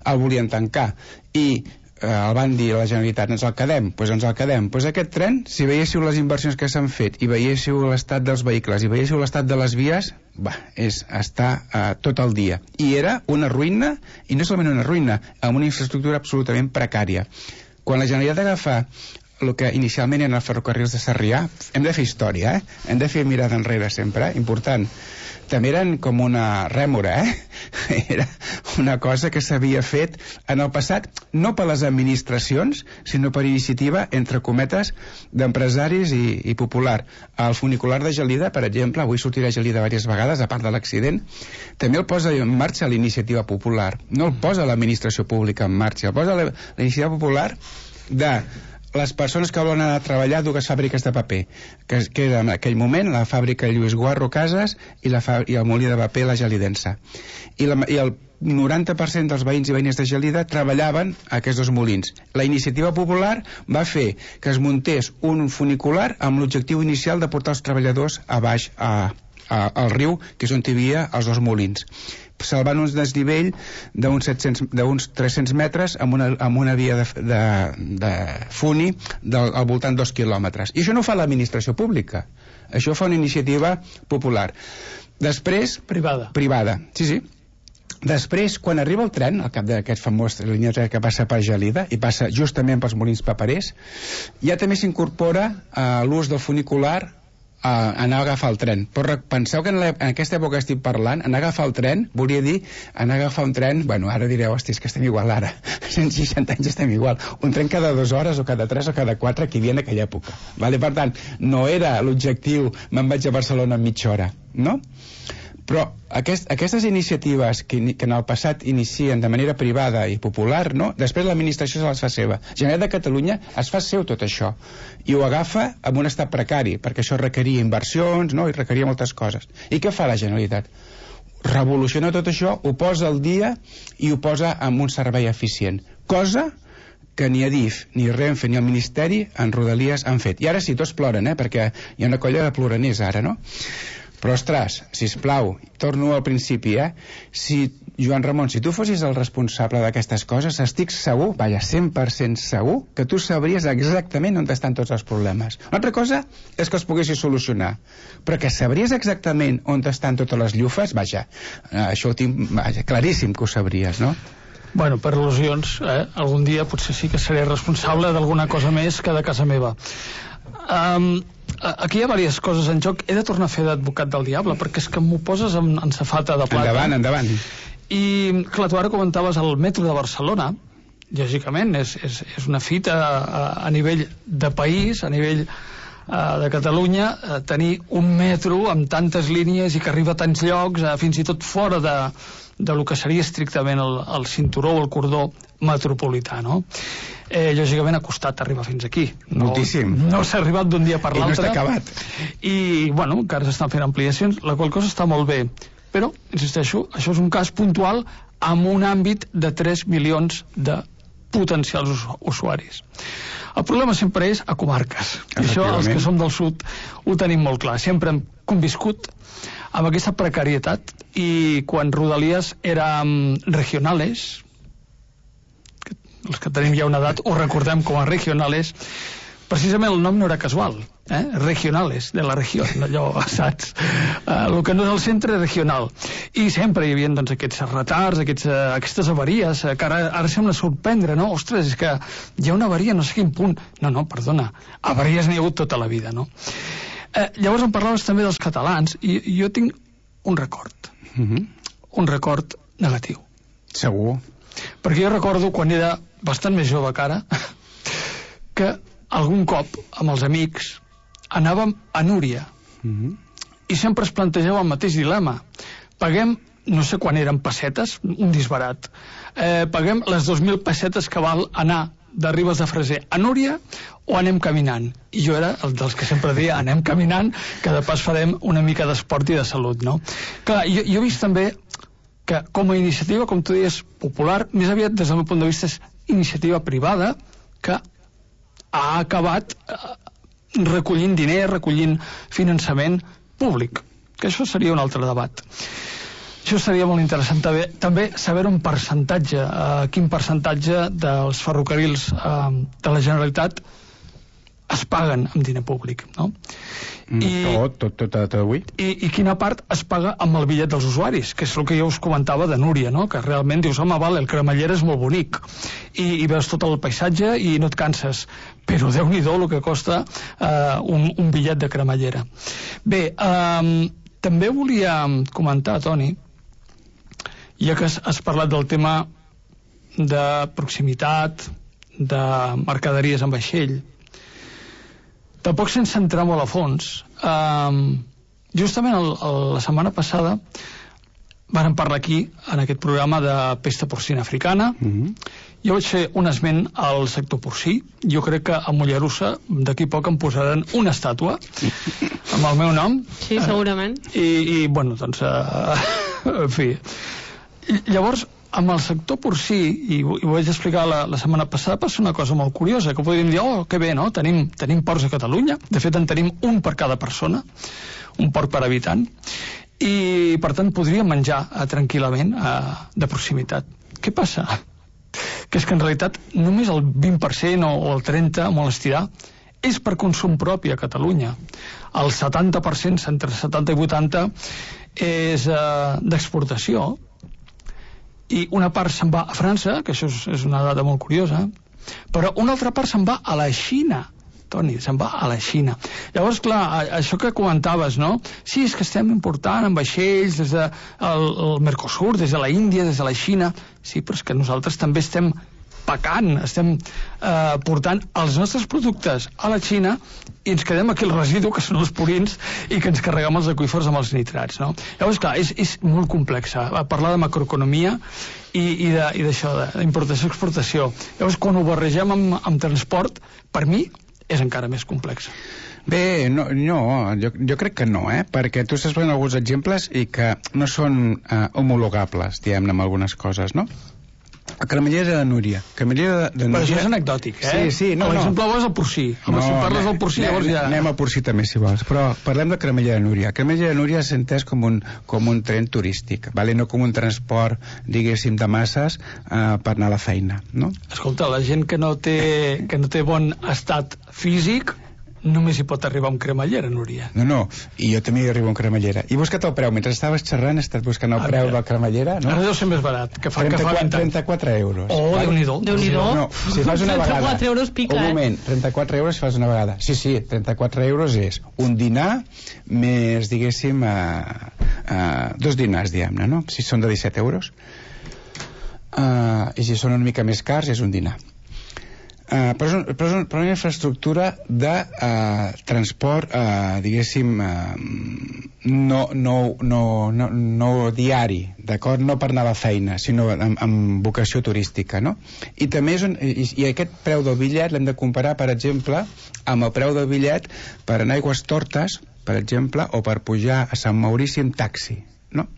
Speaker 8: el volien tancar, i eh, el van dir a la Generalitat, ens el quedem, doncs ens el quedem. Doncs aquest tren, si veiéssiu les inversions que s'han fet i veiéssiu l'estat dels vehicles i veiéssiu l'estat de les vies, va, és estar eh, tot el dia. I era una ruïna, i no solament una ruïna, amb una infraestructura absolutament precària. Quan la Generalitat agafa el que inicialment eren els ferrocarrils de Sarrià, hem de fer història, eh? Hem de fer mirada enrere sempre, eh? Important. També eren com una rèmora, eh? Era una cosa que s'havia fet en el passat, no per les administracions, sinó per iniciativa, entre cometes, d'empresaris i, i popular. El funicular de Gelida, per exemple, avui sortirà a Gelida diverses vegades, a part de l'accident, també el posa en marxa l'iniciativa popular. No el posa l'administració pública en marxa, el posa la, la iniciativa popular de les persones que volen anar a treballar a dues fàbriques de paper, que, que era en aquell moment la fàbrica Lluís Guarro Casas i, la i el molí de paper La Gelidensa. I, la, i el noranta per cent dels veïns i veïnes de Gelida treballaven a aquests dos molins. La iniciativa popular va fer que es muntés un funicular amb l'objectiu inicial de portar els treballadors a baix a, a, al riu, que és on hi havia els dos molins, salvant un desnivell d'uns tres-cents metres amb una, amb una via de, de, de funi del, al voltant dos quilòmetres. I això no ho fa l'administració pública, això fa una iniciativa popular. Després...
Speaker 7: Privada.
Speaker 8: Privada, sí, sí. Després, quan arriba el tren, al cap d'aquest famós línia que passa per Gelida i passa justament pels molins paperers, ja també s'incorpora uh, l'ús del funicular a anar a agafar el tren. Però penseu que en, la, en aquesta època que estic parlant, anar a agafar el tren volia dir anar a agafar un tren, bueno, ara direu, hosti, és que estem igual ara, cent seixanta anys estem igual, un tren cada dues hores o cada tres o cada quatre que hi havia en aquella època, vale? Per tant, no era l'objectiu me'n vaig a Barcelona en mitja hora, no? Però aquest, aquestes iniciatives que, que en el passat inicien de manera privada i popular, no? Després l'administració se les fa seva. Generalitat de Catalunya es fa seu tot això i ho agafa amb un estat precari, perquè això requeria inversions, no? I requeria moltes coses. I què fa la Generalitat? Revoluciona tot això, ho posa al dia i ho posa amb un servei eficient, cosa que ni Adif, ni Renfe, ni el Ministeri en Rodalies han fet. I ara sí, tots ploren, eh? Perquè hi ha una colla de ploraners ara, no? Però, ostres, sisplau, torno al principi, eh? Si, Joan Ramon, si tu fossis el responsable d'aquestes coses, estic segur, vaja, cent per cent segur, que tu sabries exactament on estan tots els problemes. Una altra cosa és que els poguessis solucionar, però que sabries exactament on estan totes les llufes, vaja, això ho tinc, vaja, claríssim que ho sabries, no?
Speaker 7: Bueno, per al·lusions, eh? Algun dia potser sí que seré responsable d'alguna cosa més que de casa meva. Um, aquí hi ha diverses coses en joc. He de tornar a fer d'advocat del diable, perquè és que m'ho poses en, en safata de plata.
Speaker 8: Endavant, endavant.
Speaker 7: I, clar, tu ara comentaves el metro de Barcelona, lògicament, és, és, és una fita a, a nivell de país, a nivell uh, de Catalunya, uh, tenir un metro amb tantes línies i que arriba a tants llocs, uh, fins i tot fora de, de lo que seria estrictament el, el cinturó o el cordó metropolità, no? Eh, lògicament ha costat arribar fins aquí.
Speaker 8: No, moltíssim.
Speaker 7: No s'ha arribat d'un dia per l'altre.
Speaker 8: I no està acabat.
Speaker 7: I, bueno, encara s'estan fent ampliacions, la qual cosa està molt bé. Però, insisteixo, això és un cas puntual amb un àmbit de tres milions de potencials usuaris. El problema sempre és a comarques. I això, els que som del sud, ho tenim molt clar. Sempre hem conviscut amb aquesta precarietat i quan Rodalies érem regionales, els que tenim ja una edat ho recordem com a regionales, precisament el nom no era casual, eh? Regionales, de la regió, allò, saps? Uh, el que no és el centre regional. I sempre hi havia doncs, aquests retards, aquests, uh, aquestes avaries, uh, que ara, ara sembla sorprendre, no? Ostres, és que hi ha una avaria, no sé quin punt. No, no, perdona, avaries n'hi ha hagut tota la vida, no? Uh, llavors em parlaves també dels catalans, i, i jo tinc un record,
Speaker 8: uh-huh.
Speaker 7: un record negatiu.
Speaker 8: Segur.
Speaker 7: Perquè jo recordo, quan era bastant més jove que ara, que algun cop, amb els amics, anàvem a Núria,
Speaker 8: uh-huh.
Speaker 7: i sempre es plantejava el mateix dilema. Paguem, no sé quan eren pessetes, un disbarat, eh, paguem les dos mil pessetes que val anar de Ribes de Freser a Núria o anem caminant? I jo era el dels que sempre deia anem caminant, que de pas farem una mica d'esport i de salut, no? Clar, jo, jo he vist també que com a iniciativa, com tu deies, popular, més aviat des del meu punt de vista és iniciativa privada que ha acabat eh, recollint diners, recollint finançament públic, que això seria un altre debat. Això seria molt interessant també, també saber un percentatge, eh, quin percentatge dels ferrocarrils eh, de la Generalitat es paguen amb diner públic, no?
Speaker 8: Mm, I, tot, tot, tot, tot avui.
Speaker 7: I, I quina part es paga amb el bitllet dels usuaris, que és el que jo us comentava de Núria, no? Que realment dius, home, vale, el cremallera és molt bonic i, i veus tot el paisatge i no et canses, però Déu-n'hi-do el que costa eh, un, un bitllet de cremallera. Bé, eh, també volia comentar, Toni, ja que has, has parlat del tema de proximitat, de mercaderies en vaixell, tampoc sense entrar molt a fons. Um, justament el, el, la setmana passada vàrem parlar aquí, en aquest programa, de pesta porcina africana. Mm-hmm. Jo vaig fer un esment al sector porcí. Jo crec que a Mollerussa d'aquí poc em posaran una estàtua amb el meu nom.
Speaker 6: Sí, segurament.
Speaker 7: I, i bueno, doncs, uh, en fi. Llavors, amb el sector porcí, i, i ho vaig explicar la, la setmana passada, passa una cosa molt curiosa, que podríem dir, oh, que bé, no? Tenim, tenim porcs a Catalunya, de fet en tenim un per cada persona, un porc per habitant, i per tant podríem menjar eh, tranquil·lament eh, de proximitat. Què passa? Que és que en realitat només el vint per cent o, o el trenta per cent, molt estirar, és per consum propi a Catalunya. El setanta per cent, entre setanta i vuitanta, és eh, d'exportació, i una part se'n va a França, que això és, és una dada molt curiosa, però una altra part se'n va a la Xina, Toni, se'n va a la Xina. Llavors, clar, això que comentaves, no? Sí, és que estem important en vaixells des del de el Mercosur, des de la Índia, des de la Xina. Sí, però és que nosaltres també estem pecant, estem eh, portant els nostres productes a la Xina i ens quedem aquí el residu, que són els purins, i que ens carreguem els aqüífers amb els nitrats, no? Llavors, clar, és, és molt complexa parlar de macroeconomia i, i d'això, d'importació-exportació. Llavors, quan ho barregem amb, amb transport, per mi és encara més complex.
Speaker 8: Bé, no, no jo, jo crec que no, eh? Perquè tu estàs posant alguns exemples i que no són eh, homologables, diguem-ne, amb algunes coses, no? La cremallera de Núria. Cremallera de, de Núria...
Speaker 7: Però això és anecdòtic, eh?
Speaker 8: Sí, sí, no, no.
Speaker 7: L'exemple bo és el porcí. Home, no, si parles del porcí, llavors ja...
Speaker 8: Anem al porcí també, si vols. Però parlem de cremallera de Núria. Cremallera de Núria s'ha entès com un, com un tren turístic, vale? No com un transport, diguéssim, de masses eh, per anar a la feina, no?
Speaker 7: Escolta, la gent que no té, que no té bon estat físic només hi pot arribar amb cremallera, Núria.
Speaker 8: No, no, i jo també hi arribo amb cremallera. I busca't el preu. Mentre estaves xerrant, estàs buscant el ah, preu de la cremallera, no?
Speaker 7: Ara deu ser més barat, que fa, que fa vint anys.
Speaker 8: trenta-quatre euros.
Speaker 7: Oh, vale? Déu-n'hi-do.
Speaker 6: Déu-n'hi-do.
Speaker 8: No, si fas una vegada...
Speaker 6: trenta-quatre euros pica,
Speaker 8: un moment, trenta-quatre euros si fas una vegada. Sí, sí, trenta-quatre euros és un dinar més, diguéssim, uh, uh, dos dinars, diguem-ne, no? Si són de disset euros. Uh, I si són una mica més cars, és un dinar. Uh, però, és un, però, és un, però una infraestructura de uh, transport, uh, diguéssim, uh, no, no, no, no, no diari, d'acord? No per anar a la feina, sinó amb, amb vocació turística, no? I també és un, i, i aquest preu del bitllet l'hem de comparar, per exemple, amb el preu del bitllet per anar a Aigüestortes, per exemple, o per pujar a Sant Maurici en taxi, no?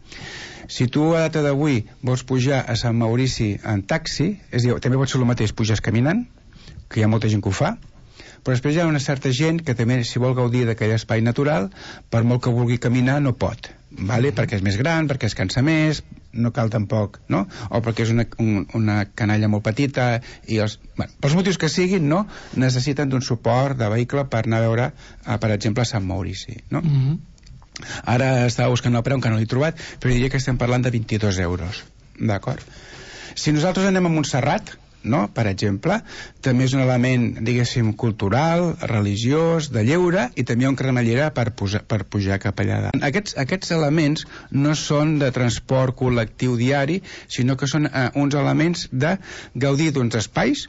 Speaker 8: Si tu a data d'avui vols pujar a Sant Maurici en taxi, és a dir, també pot ser el mateix, puges caminant, que hi ha molta gent que ho fa, però després hi ha una certa gent que també, si vol gaudir d'aquell espai natural, per molt que vulgui caminar, no pot, vale? Mm-hmm. Perquè és més gran, perquè es cansa més, no cal tampoc, no? O perquè és una, un, una canalla molt petita, i els, bueno, pels motius que siguin, no? Necessiten d'un suport de vehicle per anar a veure, a, per exemple, a Sant Maurici, no? Mm-hmm. Ara estava buscant el preu, que no l'he trobat, però diria que estem parlant de vint-i-dos euros, d'acord? Si nosaltres anem a Montserrat, no? Per exemple, també és un element, diguéssim, cultural, religiós, de lleure, i també hi ha un cremallera per, pujar, per pujar cap allà. Aquests, aquests elements no són de transport col·lectiu diari, sinó que són eh, uns elements de gaudir d'uns espais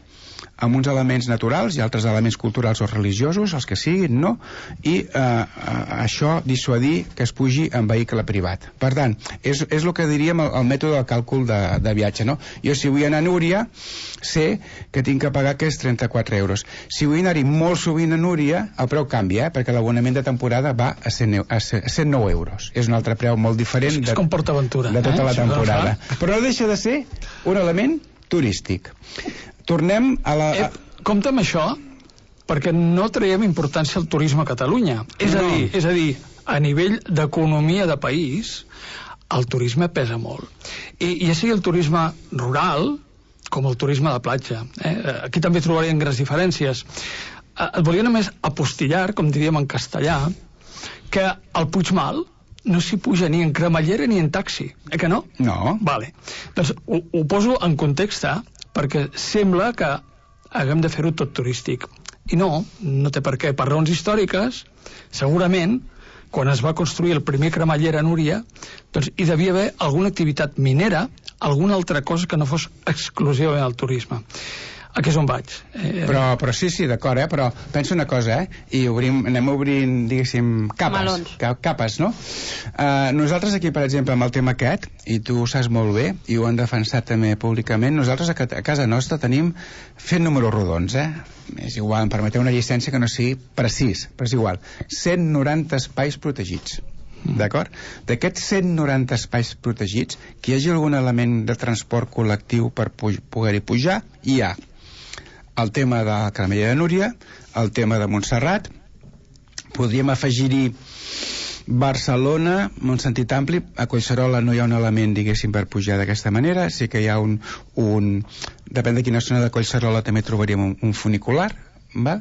Speaker 8: amb uns elements naturals i altres elements culturals o religiosos, els que siguin, no? I eh, això dissuadir que es pugi en vehicle privat. Per tant, és, és el que diríem el, el mètode del càlcul de, de viatge, no? Jo, si vull anar a Núria, sé que tinc que pagar aquests trenta-quatre euros. Si vull anar-hi molt sovint a Núria, el preu canvia, eh? Perquè l'abonament de temporada va a cent nou euros. És un altre preu molt diferent
Speaker 7: de, és com PortAventura,
Speaker 8: de tota
Speaker 7: eh?
Speaker 8: la temporada. Però no deixa de ser un element turístic. Tornem a la...
Speaker 7: Eh, compte amb això, perquè no traiem importància al turisme a Catalunya. És a dir, és a dir, a nivell d'economia de país, el turisme pesa molt. I, i ja sigui el turisme rural com el turisme de platja. Eh? Aquí també trobarien grans diferències. Eh, et volia només apostillar, com diríem en castellà, que al Puigmal no s'hi puja ni en cremallera ni en taxi. Eh que no?
Speaker 8: No.
Speaker 7: Vale. Doncs ho, ho poso en context, perquè sembla que haguem de fer-ho tot turístic. I no, no té per què. Per raons històriques, segurament, quan es va construir el primer cremallera a Núria, doncs hi devia haver alguna activitat minera, alguna altra cosa que no fos exclusivament el turisme. Aquí és on vaig.
Speaker 8: Eh... Però, però sí, sí, d'acord, eh? Però pensa una cosa, eh? I obrim, anem obrint, diguéssim, capes. Ca capes, no? Uh, nosaltres aquí, per exemple, amb el tema aquest, i tu ho saps molt bé, i ho han defensat també públicament, nosaltres a, a casa nostra tenim fent números rodons, eh? És igual, em permeteu una llicència que no sigui precís, però és igual. cent noranta espais protegits. D'acord? D'aquests cent noranta espais protegits, que hi hagi algun element de transport col·lectiu per poder-hi pujar, hi ha el tema de la Cremallera de Núria, el tema de Montserrat, podríem afegir-hi Barcelona, en un sentit ampli. A Collserola no hi ha un element, diguéssim, per pujar d'aquesta manera, sí que hi ha un, un depèn de quina zona de Collserola també trobaríem un, un funicular, val?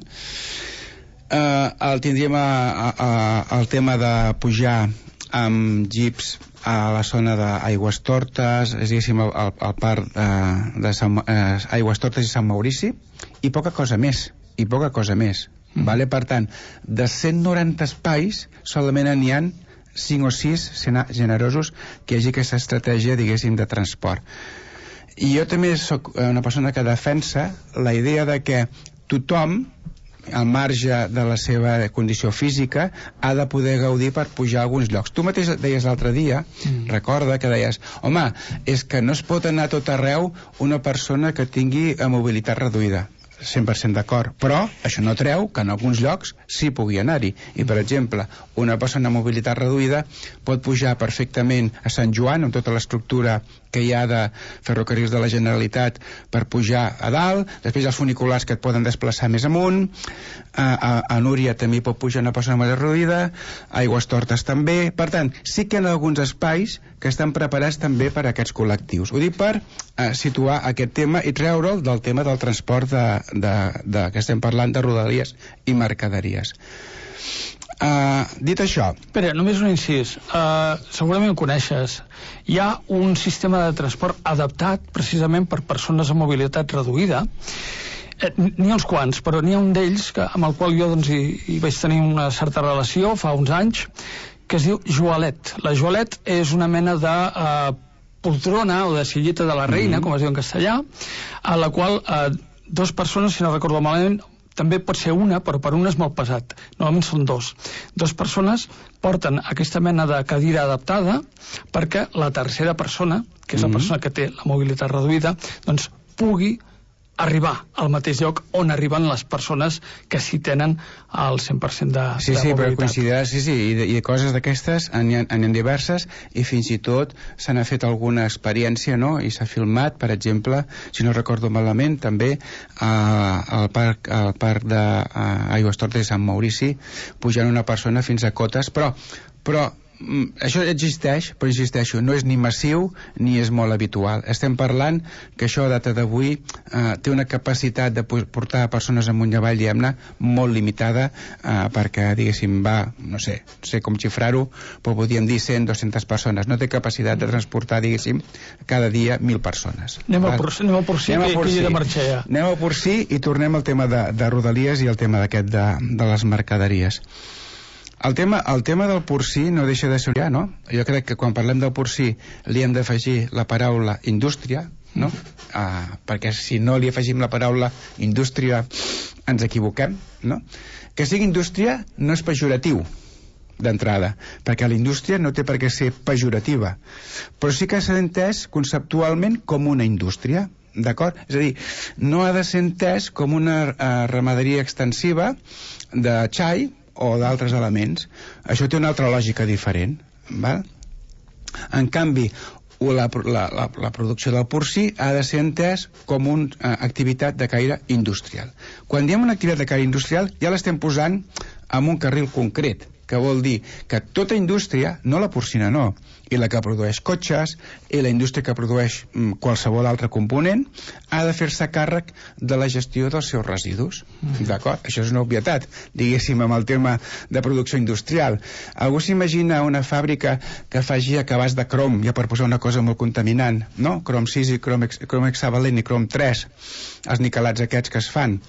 Speaker 8: Uh, el tindríem a, a, a, el tema de pujar amb jeeps a la zona d'Aigües Tortes, és diguéssim el, el, el parc de, de Sant, eh, Aigües Tortes i Sant Maurici, i poca cosa més, i poca cosa més. Mm. Vale? Per tant, de cent noranta espais solament n'hi ha cinc o sis generosos que hi hagi aquesta estratègia, diguéssim, de transport. I jo també sóc una persona que defensa la idea de que tothom, al marge de la seva condició física, ha de poder gaudir per pujar a alguns llocs. Tu mateix deies l'altre dia, mm. recorda que deies, home, és que no es pot anar a tot arreu una persona que tingui mobilitat reduïda. cent per cent d'acord, però això no treu que en alguns llocs sí pugui anar-hi. I, per exemple, una persona amb mobilitat reduïda pot pujar perfectament a Sant Joan, amb tota l'estructura que hi ha de ferrocarrils de la Generalitat per pujar a dalt, després els funiculars que et poden desplaçar més amunt, a, a, a Núria també pot pujar una persona amb mobilitat reduïda, a Aigües Tortes també. Per tant, sí que hi ha alguns espais que estan preparats també per a aquests col·lectius. Ho dic per eh, situar aquest tema i treure'l del tema del transport de, de, de, que estem parlant de rodalies i mercaderies. Uh, dit això...
Speaker 7: Espera, només un incís. Uh, segurament ho coneixes. Hi ha un sistema de transport adaptat precisament per persones amb mobilitat reduïda. Eh, n'hi ha uns quants, però n'hi ha un d'ells que, amb el qual jo doncs, hi, hi vaig tenir una certa relació fa uns anys, que es diu Joalet. La Joalet és una mena de uh, poltrona o de silleta de la reina, mm-hmm. com es diu en castellà, a la qual uh, dues persones, si no recordo malament, també pot ser una, però per una és molt pesat. Normalment són dos. Dos persones porten aquesta mena de cadira adaptada perquè la tercera persona, que és la persona que té la mobilitat reduïda, doncs pugui arribar al mateix lloc on arriben les persones que sí tenen el cent per cent de,
Speaker 8: sí,
Speaker 7: de
Speaker 8: sí,
Speaker 7: mobilitat.
Speaker 8: Però considerar, sí, sí, i de, i de coses d'aquestes n'hi ha, ha diverses, i fins i tot se n'ha fet alguna experiència, no?, i s'ha filmat, per exemple, si no recordo malament, també a, al parc, al parc d'Aigües Tortes i Sant Maurici, pujant una persona fins a cotes, però, però això existeix, però insisteixo, no és ni massiu ni és molt habitual. Estem parlant que això a data d'avui eh, té una capacitat de portar persones amunt i avall, diguem-ne, molt limitada, eh, perquè, diguéssim, va, no sé, no sé com xifrar-ho, però podríem dir cent, dues-centes persones. No té capacitat de transportar, diguéssim, cada dia mil persones.
Speaker 7: Anem a Porcí, anem a Porcí, que, que hi ha de marxar ja.
Speaker 8: Anem a Porcí i tornem al tema de, de Rodalies i el tema d'aquest de, de les mercaderies. El tema, el tema del Porcí no deixa de ser, ja, no? Jo crec que quan parlem del Porcí li hem d'afegir la paraula indústria, no? Uh, perquè si no li afegim la paraula indústria ens equivoquem, no? Que sigui indústria no és pejoratiu d'entrada, perquè la indústria no té per què ser pejorativa, però sí que s'ha entès conceptualment com una indústria, d'acord? És a dir, no ha de ser entès com una uh, ramaderia extensiva de xai o d'altres elements. Això té una altra lògica diferent, val? En canvi, la, la, la, la producció del porcí ha de ser entès com una uh, activitat de caire industrial. Quan diem una activitat de caire industrial ja l'estem posant en un carril concret, que vol dir que tota indústria, no la porcina no, i la que produeix cotxes, i la indústria que produeix mm, qualsevol altre component, ha de fer-se càrrec de la gestió dels seus residus. Mm. D'acord? Això és una obvietat, diguéssim, amb el tema de producció industrial. Algú s'imagina una fàbrica que faci acabats de crom, ja per posar una cosa molt contaminant, no? Crom sis i crom, crom hexavalent i crom tres, els niquelats aquests que es fan,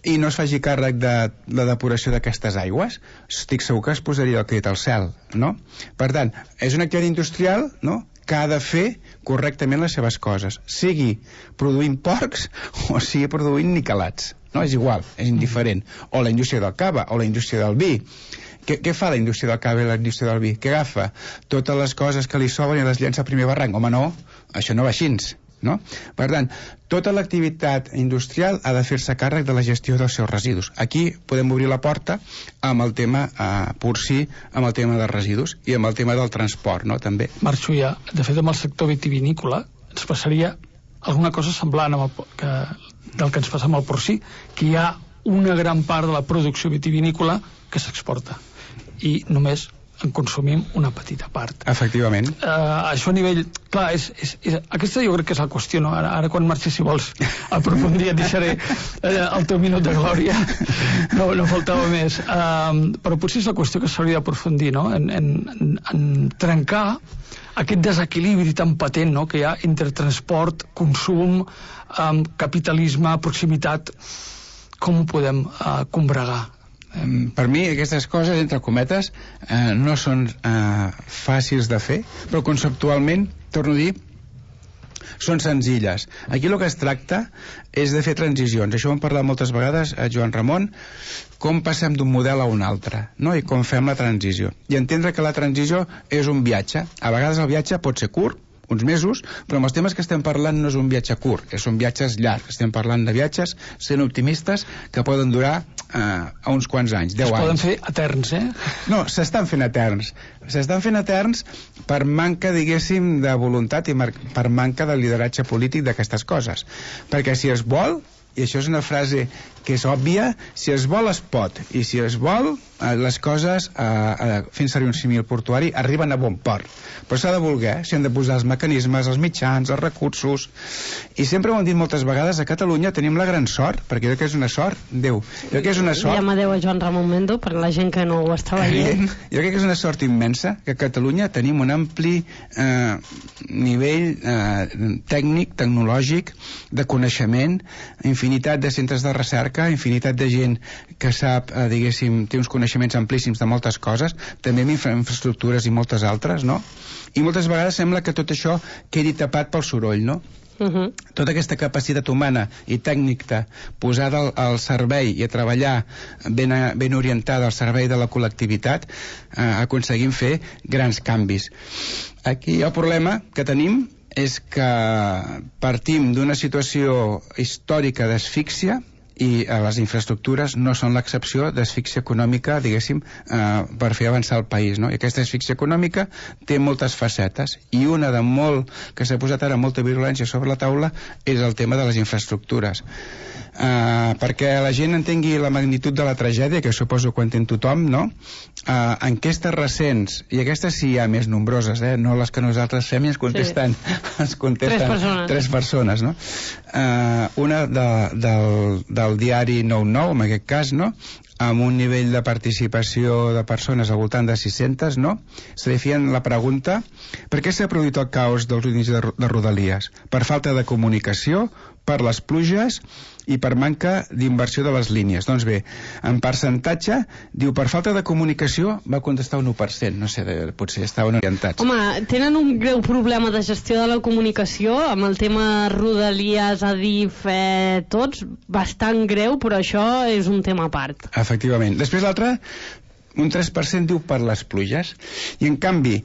Speaker 8: i no es faci càrrec de la depuració d'aquestes aigües, estic segur que es posaria el crit al cel, no? Per tant, és una activitat industrial, no?, que ha de fer correctament les seves coses, sigui produint porcs o sigui produint niquelats, no? És igual, és indiferent. O la indústria del cava, o la indústria del vi. Què, què fa la indústria del cava i la indústria del vi? Què agafa? Totes les coses que li sobren i les llença al primer barranc. Home, no, això no va així, no? Per tant, tota l'activitat industrial ha de fer-se càrrec de la gestió dels seus residus. Aquí podem obrir la porta amb el tema eh, porcí, amb el tema dels residus i amb el tema del transport, no?, també.
Speaker 7: Marxo ja. De fet, amb el sector vitivinícola ens passaria alguna cosa semblant amb el, que, del que ens passa amb el porcí, que hi ha una gran part de la producció vitivinícola que s'exporta i només en consumim una petita part.
Speaker 8: Efectivament.
Speaker 7: Uh, això a nivell... Clar, és, és, és, aquesta jo crec que és la qüestió, no? Ara, ara quan marxis, si vols aprofundir, et deixaré uh, el teu minut de glòria. No, no faltava més. Uh, però potser és la qüestió que s'hauria d'aprofundir, no? En, en, en, en trencar aquest desequilibri tan patent, no?, que hi ha entre transport, consum, um, capitalisme, proximitat. Com ho podem uh, combregar?
Speaker 8: Per mi aquestes coses, entre cometes, eh, no són eh, fàcils de fer, però conceptualment, torno a dir, són senzilles. Aquí el que es tracta és de fer transicions. Això ho hem parlat moltes vegades a Joan Ramon, com passem d'un model a un altre, no?, i com fem la transició. I entendre que la transició és un viatge. A vegades el viatge pot ser curt, uns mesos, però amb els temes que estem parlant no és un viatge curt, són viatges llargs. Estem parlant de viatges, sent optimistes, que poden durar eh, a uns quants anys, deu anys.
Speaker 7: Es poden fer eterns, eh?
Speaker 8: No, s'estan fent eterns. S'estan fent eterns per manca, diguéssim, de voluntat i per manca de lideratge polític d'aquestes coses. Perquè si es vol, i això és una frase que és òbvia, si es vol es pot, i si es vol eh, les coses, eh, eh, fent servir un símil portuari, arriben a bon port. Però s'ha de voler, s'hi han de posar els mecanismes, els mitjans, els recursos, i sempre ho hem dit moltes vegades, a Catalunya tenim la gran sort, perquè jo crec que és una sort, Déu, jo crec que és una sort...
Speaker 6: Diem adéu a Joan Ramon Mendo, per la gent que no ho està veient.
Speaker 8: Jo crec que és una sort immensa, que a Catalunya tenim un ampli eh, nivell eh, tècnic, tecnològic, de coneixement, infinitat de centres de recerca, infinitat de gent que sap, eh, diguéssim, té uns coneixements amplíssims de moltes coses, també amb infra infraestructures i moltes altres, no? I moltes vegades sembla que tot això quedi tapat pel soroll, no? Uh-huh. Tota aquesta capacitat humana i tècnica posada al, al servei i a treballar ben, a, ben orientada al servei de la col·lectivitat, eh, aconseguim fer grans canvis. Aquí el problema que tenim és que partim d'una situació històrica d'asfíxia i eh, les infraestructures no són l'excepció d'asfíxia econòmica, diguéssim, eh, per fer avançar el país, no? I aquesta asfíxia econòmica té moltes facetes, i una de molt, que s'ha posat ara molta virulència sobre la taula, és el tema de les infraestructures. Uh, perquè la gent entengui la magnitud de la tragèdia, que suposo que ho entén tothom, no? Uh, enquestes recents, i aquestes sí hi ha més nombroses, eh? No les que nosaltres fem i ens contesten, sí. ens contesten
Speaker 6: tres persones,
Speaker 8: tres persones, no? Uh, una de, del, del diari nou nou, en aquest cas, no?, amb un nivell de participació de persones al voltant de sis-centes, no? Se li feien la pregunta: per què s'ha produït el caos dels inicis de, de Rodalies? Per falta de comunicació, per les pluges i per manca d'inversió de les línies. Doncs bé, en percentatge, diu, per falta de comunicació va contestar un u per cent, no sé, potser estaven orientats.
Speaker 6: Home, tenen un greu problema de gestió de la comunicació, amb el tema Rodalies, Adif, eh, tots, bastant greu, però això és un tema a part.
Speaker 8: Efectivament. Després l'altre, un tres per cent diu per les pluges, i en canvi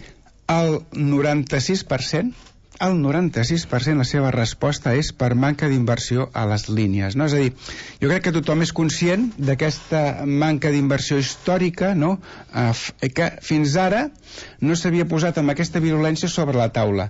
Speaker 8: el noranta-sis per cent el noranta-sis per cent la seva resposta és per manca d'inversió a les línies, no? És a dir, jo crec que tothom és conscient d'aquesta manca d'inversió històrica, no?, eh, que fins ara no s'havia posat amb aquesta virulència sobre la taula.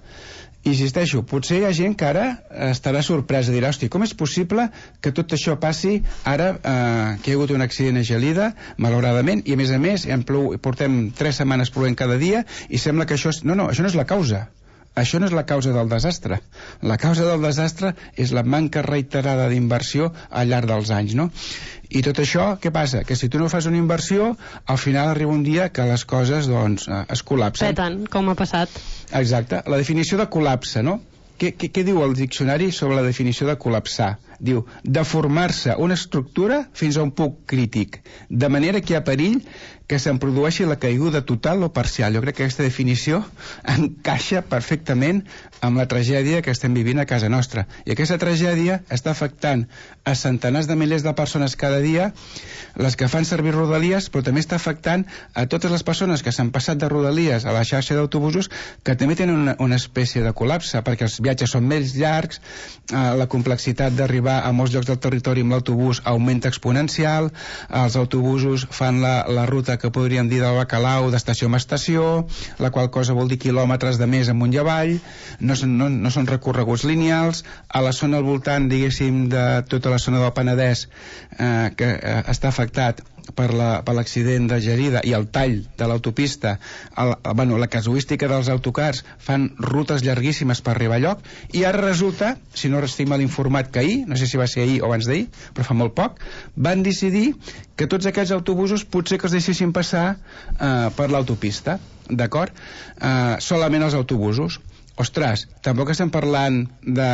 Speaker 8: Insisteixo, potser hi ha gent que ara estarà sorpresa, dirà, hosti, com és possible que tot això passi ara eh, que hi ha hagut un accident a Gelida, malauradament, i a més a més hem plou, portem tres setmanes plovent cada dia i sembla que això és... No, no, això no és la causa. Això no és la causa del desastre. La causa del desastre és la manca reiterada d'inversió al llarg dels anys, no? I tot això, què passa? Que si tu no fas una inversió, al final arriba un dia que les coses, doncs, es col·lapsen.
Speaker 6: Peten, com ha passat.
Speaker 8: Exacte. La definició de col·lapse, no? Què, què, què diu el diccionari sobre la definició de col·lapsar? Diu, deformar-se una estructura fins a un punt crític, de manera que hi ha perill que se'n produeixi la caiguda total o parcial. Jo crec que aquesta definició encaixa perfectament amb la tragèdia que estem vivint a casa nostra. I aquesta tragèdia està afectant a centenars de milers de persones cada dia, les que fan servir Rodalies, però també està afectant a totes les persones que s'han passat de Rodalies a la xarxa d'autobusos, que també tenen una, una espècie de col·lapse, perquè els viatges són més llargs, eh, la complexitat d'arribar a molts llocs del territori amb l'autobús augmenta exponencial, els autobusos fan la, la ruta que podríem dir del bacalao d'estació en estació, la qual cosa vol dir quilòmetres de més amunt i avall, no són, no, no són recorreguts lineals. A la zona al voltant, diguéssim, de tota la zona del Penedès, eh, que eh, està afectat per l'accident la, de Gelida i el tall de l'autopista, el, bueno, la casuística dels autocars, fan rutes llarguíssimes per arribar a lloc, i ara resulta, si no estic mal informat, que ahir, no sé si va ser ahir o abans d'ahir, però fa molt poc, van decidir que tots aquests autobusos potser que els deixessin passar eh, per l'autopista, d'acord? Eh, solament els autobusos. Ostres, tampoc estem parlant de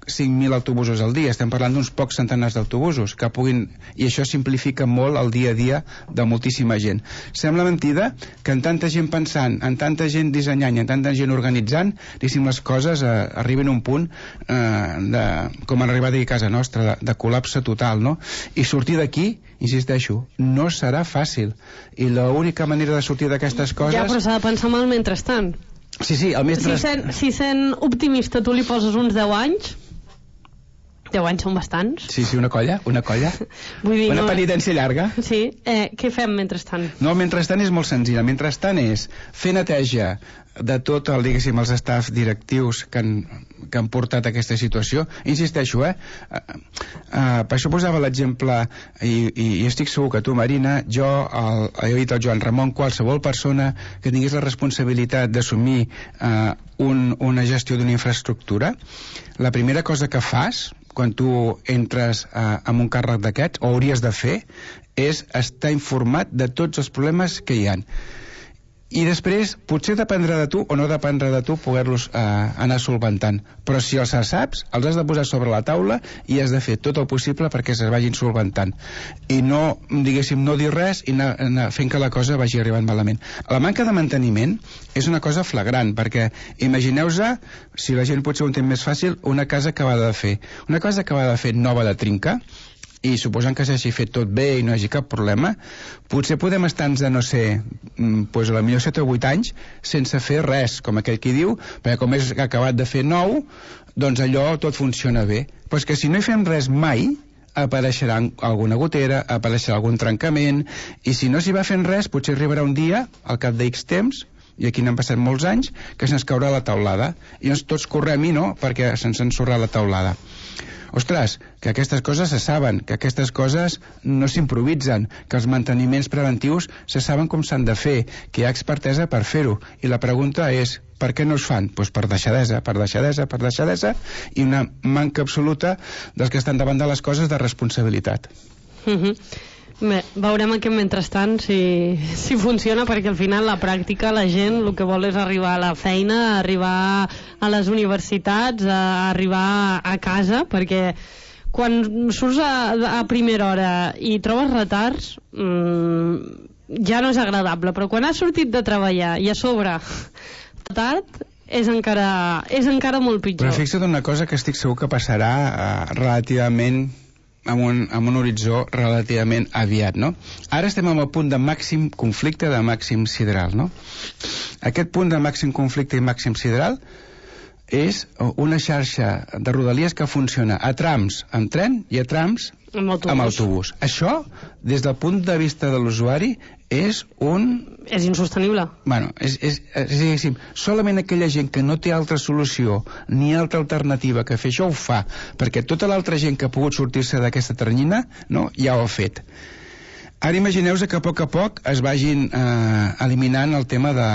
Speaker 8: cinc mil autobusos al dia, estem parlant d'uns pocs centenars d'autobusos que puguin, i això simplifica molt el dia a dia de moltíssima gent. Sembla mentida que en tanta gent pensant, en tanta gent dissenyant i en tanta gent organitzant, diguéssim, les coses eh, arriben a un punt eh, de, com han arribat a casa nostra, de, de col·lapse total, no? I sortir d'aquí, insisteixo, no serà fàcil, i l'única manera de sortir d'aquestes coses...
Speaker 6: Ja, però s'ha de pensar mal mentrestant.
Speaker 8: Sí, sí, el mestre...
Speaker 6: Si sent, si sent optimista tu li poses uns deu anys, deu anys són bastants.
Speaker 8: Sí, sí, una colla, una colla.
Speaker 6: Vull dir,
Speaker 8: una
Speaker 6: no...
Speaker 8: penitència llarga.
Speaker 6: Sí, eh, què fem mentrestant?
Speaker 8: No, el mentrestant és molt senzill. El mentrestant és fer neteja de tot el, diguéssim, els staffs directius que han, que han portat a aquesta situació. Insisteixo, eh? Uh, uh, per això posava l'exemple, i, i, i estic segur que tu, Marina, jo, el, he dit el Joan Ramon, qualsevol persona que tingués la responsabilitat d'assumir uh, un, una gestió d'una infraestructura, la primera cosa que fas quan tu entres uh, en un càrrec d'aquests, o hauries de fer, és estar informat de tots els problemes que hi ha. I després, potser dependrà de tu o no dependrà de tu poder-los eh, anar solventant. Però si els saps, els has de posar sobre la taula i has de fer tot el possible perquè es vagin solventant. I no, diguéssim, no dir res i anar, anar fent que la cosa vagi arribant malament. La manca de manteniment és una cosa flagrant, perquè imagineu-vos, si la gent potser ho entén més fàcil, una casa acabada de fer. Una casa acabada de fer nova de trinca, i suposant que s'hagi fet tot bé i no hi hagi cap problema, potser podem estar-nos de, no sé, pues, a la millor set o vuit anys sense fer res, com aquell qui diu, perquè com és acabat de fer nou, doncs allò tot funciona bé. Però és que si no hi fem res mai, apareixerà alguna gotera, apareixerà algun trencament, i si no s'hi va fent res, potser arribarà un dia, al cap d'X temps, i aquí n'han passat molts anys, que se'ns caurà la taulada. I doncs tots correm-hi, no?, perquè se'ns ensorrà la taulada. Ostres, que aquestes coses se saben, que aquestes coses no s'improvisen, que els manteniments preventius se saben com s'han de fer, que hi ha expertesa per fer-ho. I la pregunta és, per què no es fan? Doncs per deixadesa, per deixadesa, per deixadesa, i una manca absoluta dels que estan davant de les coses de responsabilitat.
Speaker 6: Mhm. Bé, veurem aquest mentrestant si, si funciona, perquè al final la pràctica, la gent el que vol és arribar a la feina, arribar a les universitats, a arribar a casa, perquè quan surts a, a primera hora i trobes retards, mmm, ja no és agradable, però quan has sortit de treballar i a sobre tard, és encara, és encara molt pitjor.
Speaker 8: Però fixa't una cosa que estic segur que passarà uh, relativament amb un, amb un horitzó relativament aviat, no? Ara estem en el punt de màxim conflicte, de màxim sideral, no? Aquest punt de màxim conflicte i màxim sideral és una xarxa de rodalies que funciona a trams amb tren i a trams
Speaker 6: amb autobús.
Speaker 8: amb autobús. Això, des del punt de vista de l'usuari, és un...
Speaker 6: És insostenible.
Speaker 8: Bueno, és, és, és, diguéssim, solament aquella gent que no té altra solució ni altra alternativa que fer això ho fa, perquè tota l'altra gent que ha pogut sortir-se d'aquesta ternyina, no, ja ho ha fet. Ara imagineu-vos que a poc a poc es vagin eh, eliminant el tema de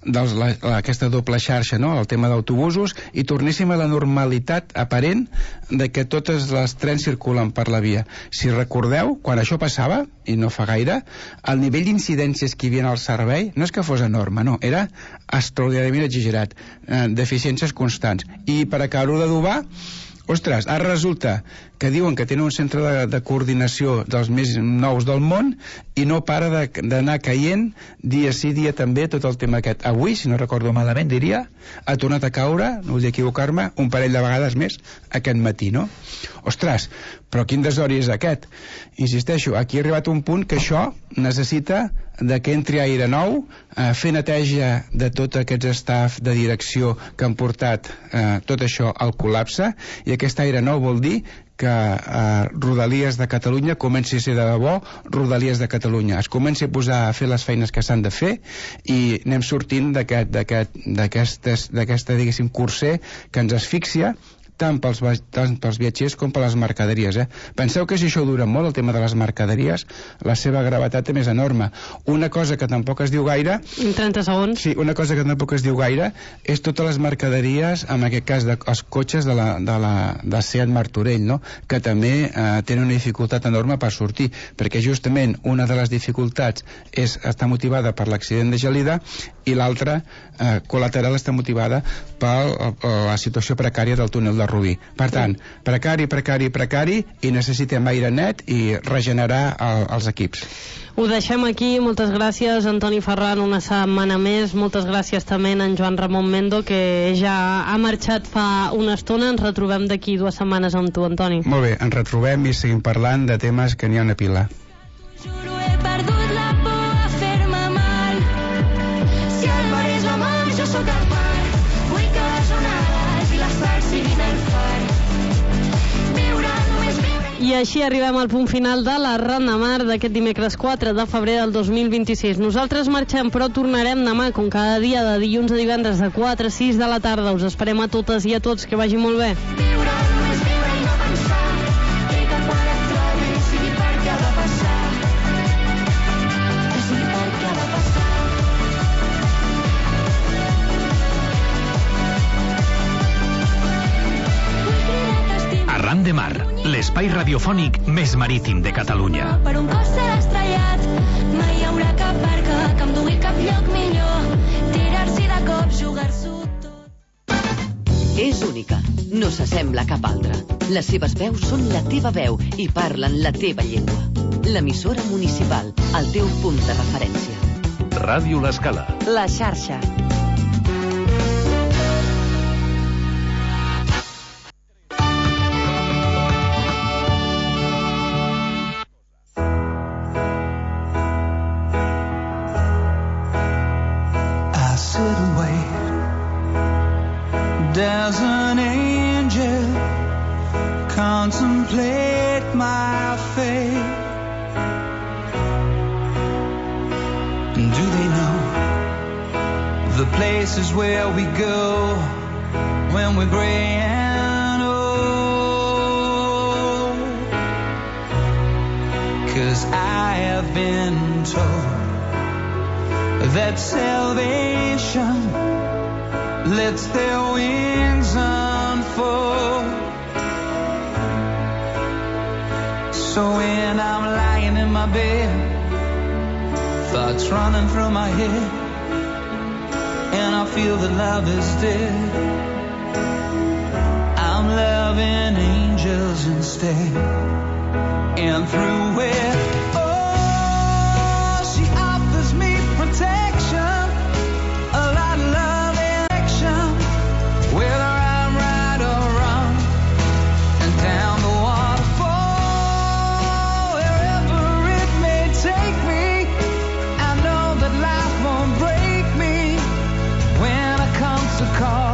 Speaker 8: dels, la, la, aquesta doble xarxa, no? El tema d'autobusos, i tornéssim a la normalitat aparent de que totes les trens circulen per la via. Si recordeu, quan això passava, i no fa gaire, el nivell d'incidències que hi havia al servei no és que fos enorme, no, era extraordinàriament exagerat, eh, deficiències constants. I per acabar-ho d'adobar, ostres, ara resulta que diuen que tenen un centre de, de coordinació dels més nous del món i no para d'anar caient dia sí, dia també, tot el tema aquest. Avui, si no recordo malament, diria, ha tornat a caure, no vull equivocar-me, un parell de vegades més aquest matí, no? Ostres, però quin desori és aquest? Insisteixo, aquí ha arribat un punt que això necessita de que entri aire nou, eh, fer neteja de tots aquests staff de direcció que han portat eh, tot això al col·lapse, i aquest aire nou vol dir que eh, Rodalies de Catalunya comenci a ser de debò Rodalies de Catalunya, es comenci a posar a fer les feines que s'han de fer i anem sortint d'aquesta, diguéssim, curser que ens asfixia tant pels, tant pels viatgers com per les mercaderies, eh? Penseu que si això dura molt, el tema de les mercaderies, la seva gravetat és enorme. Una cosa que tampoc es diu gaire...
Speaker 6: trenta segons.
Speaker 8: Sí, una cosa que tampoc es diu gaire és totes les mercaderies, en aquest cas de, els cotxes de la, de la de Seat Martorell, no? Que també eh, tenen una dificultat enorme per sortir, perquè justament una de les dificultats és estar motivada per l'accident de Gelida i l'altra, eh, col·lateral, està motivada per la situació precària del túnel de Rubí. Per tant, precari, precari, precari, i necessitem aire net i regenerar el, els equips.
Speaker 6: Ho deixem aquí. Moltes gràcies, Antoni Ferran, una setmana més. Moltes gràcies també a en Joan Ramon Mendo, que ja ha marxat fa una estona. Ens retrobem d'aquí dues setmanes amb tu, Antoni.
Speaker 8: Molt bé, ens retrobem i seguim parlant de temes que n'hi ha una pila.
Speaker 9: Juro, he perdut la por a fer-me mal. Si el mar és la mar, jo sóc el mar. Vull que les onades i la sal siguin el far. Viure, només viure...
Speaker 6: I així arribem al punt final de la Ran de Mar d'aquest dimecres quatre de febrer del dos mil vint-i-sis. Nosaltres marxem, però tornarem demà, com cada dia, de dilluns a divendres, de quatre a sis de la tarda. Us esperem a totes i a tots. Que vagi molt bé.
Speaker 9: Viure, només viure i no pensar. I que quan et trobi sigui perquè ha de passar. Que sigui perquè ha de passar.
Speaker 5: Arran de Mar, l'espai radiofònic més marítim de Catalunya.
Speaker 9: Per un cos serà estrellat, mai hi haurà cap barca que em dugui cap lloc millor. Tirar-s'hi de cop, jugar-s'ho tot.
Speaker 3: És única, no s'assembla a cap altra. Les seves veus són la teva veu i parlen la teva llengua. L'emissora municipal, el teu punt de referència.
Speaker 2: Ràdio L'Escala.
Speaker 4: La xarxa.
Speaker 10: Does an angel contemplate my fate? And do they know the places where we go when we're gray and old? 'Cause I have been told that salvation lets their wings unfold. So when I'm lying in my bed, thoughts running through my head, and I feel that love is dead, I'm loving angels instead. And through it, oh, she offers me protection, a lot of love. Whether I'm right or wrong, and down the waterfall, wherever it may take me, I know that life won't break me. When I come to call,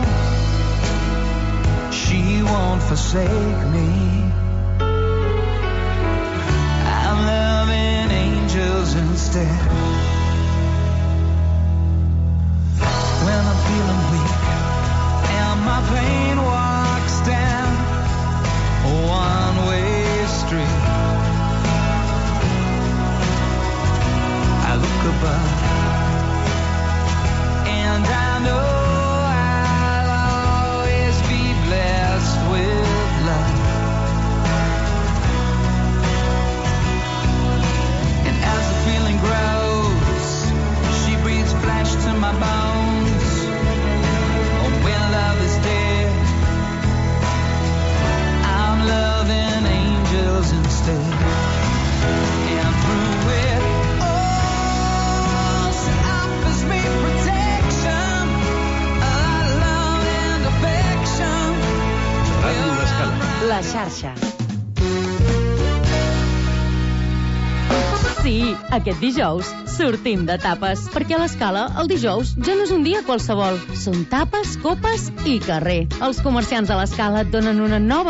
Speaker 10: she won't forsake me. I'm loving angels instead. instead. When I'm feeling weak and my pain walks down a one-way street, I look above and I know I'll always be blessed with love. And as the feeling grows, she breathes flesh to my bones. Oh, when love is dead, I'm loving angels instead. And through it all, she offers me protection, a love and affection.
Speaker 2: Ràdio L'Escala.
Speaker 4: La xarxa. Sí, aquest dijous sortim de tapes, perquè a l'Escala el dijous ja no és un dia qualsevol. Són tapes, copes i carrer. Els comerciants de l'Escala et donen una nova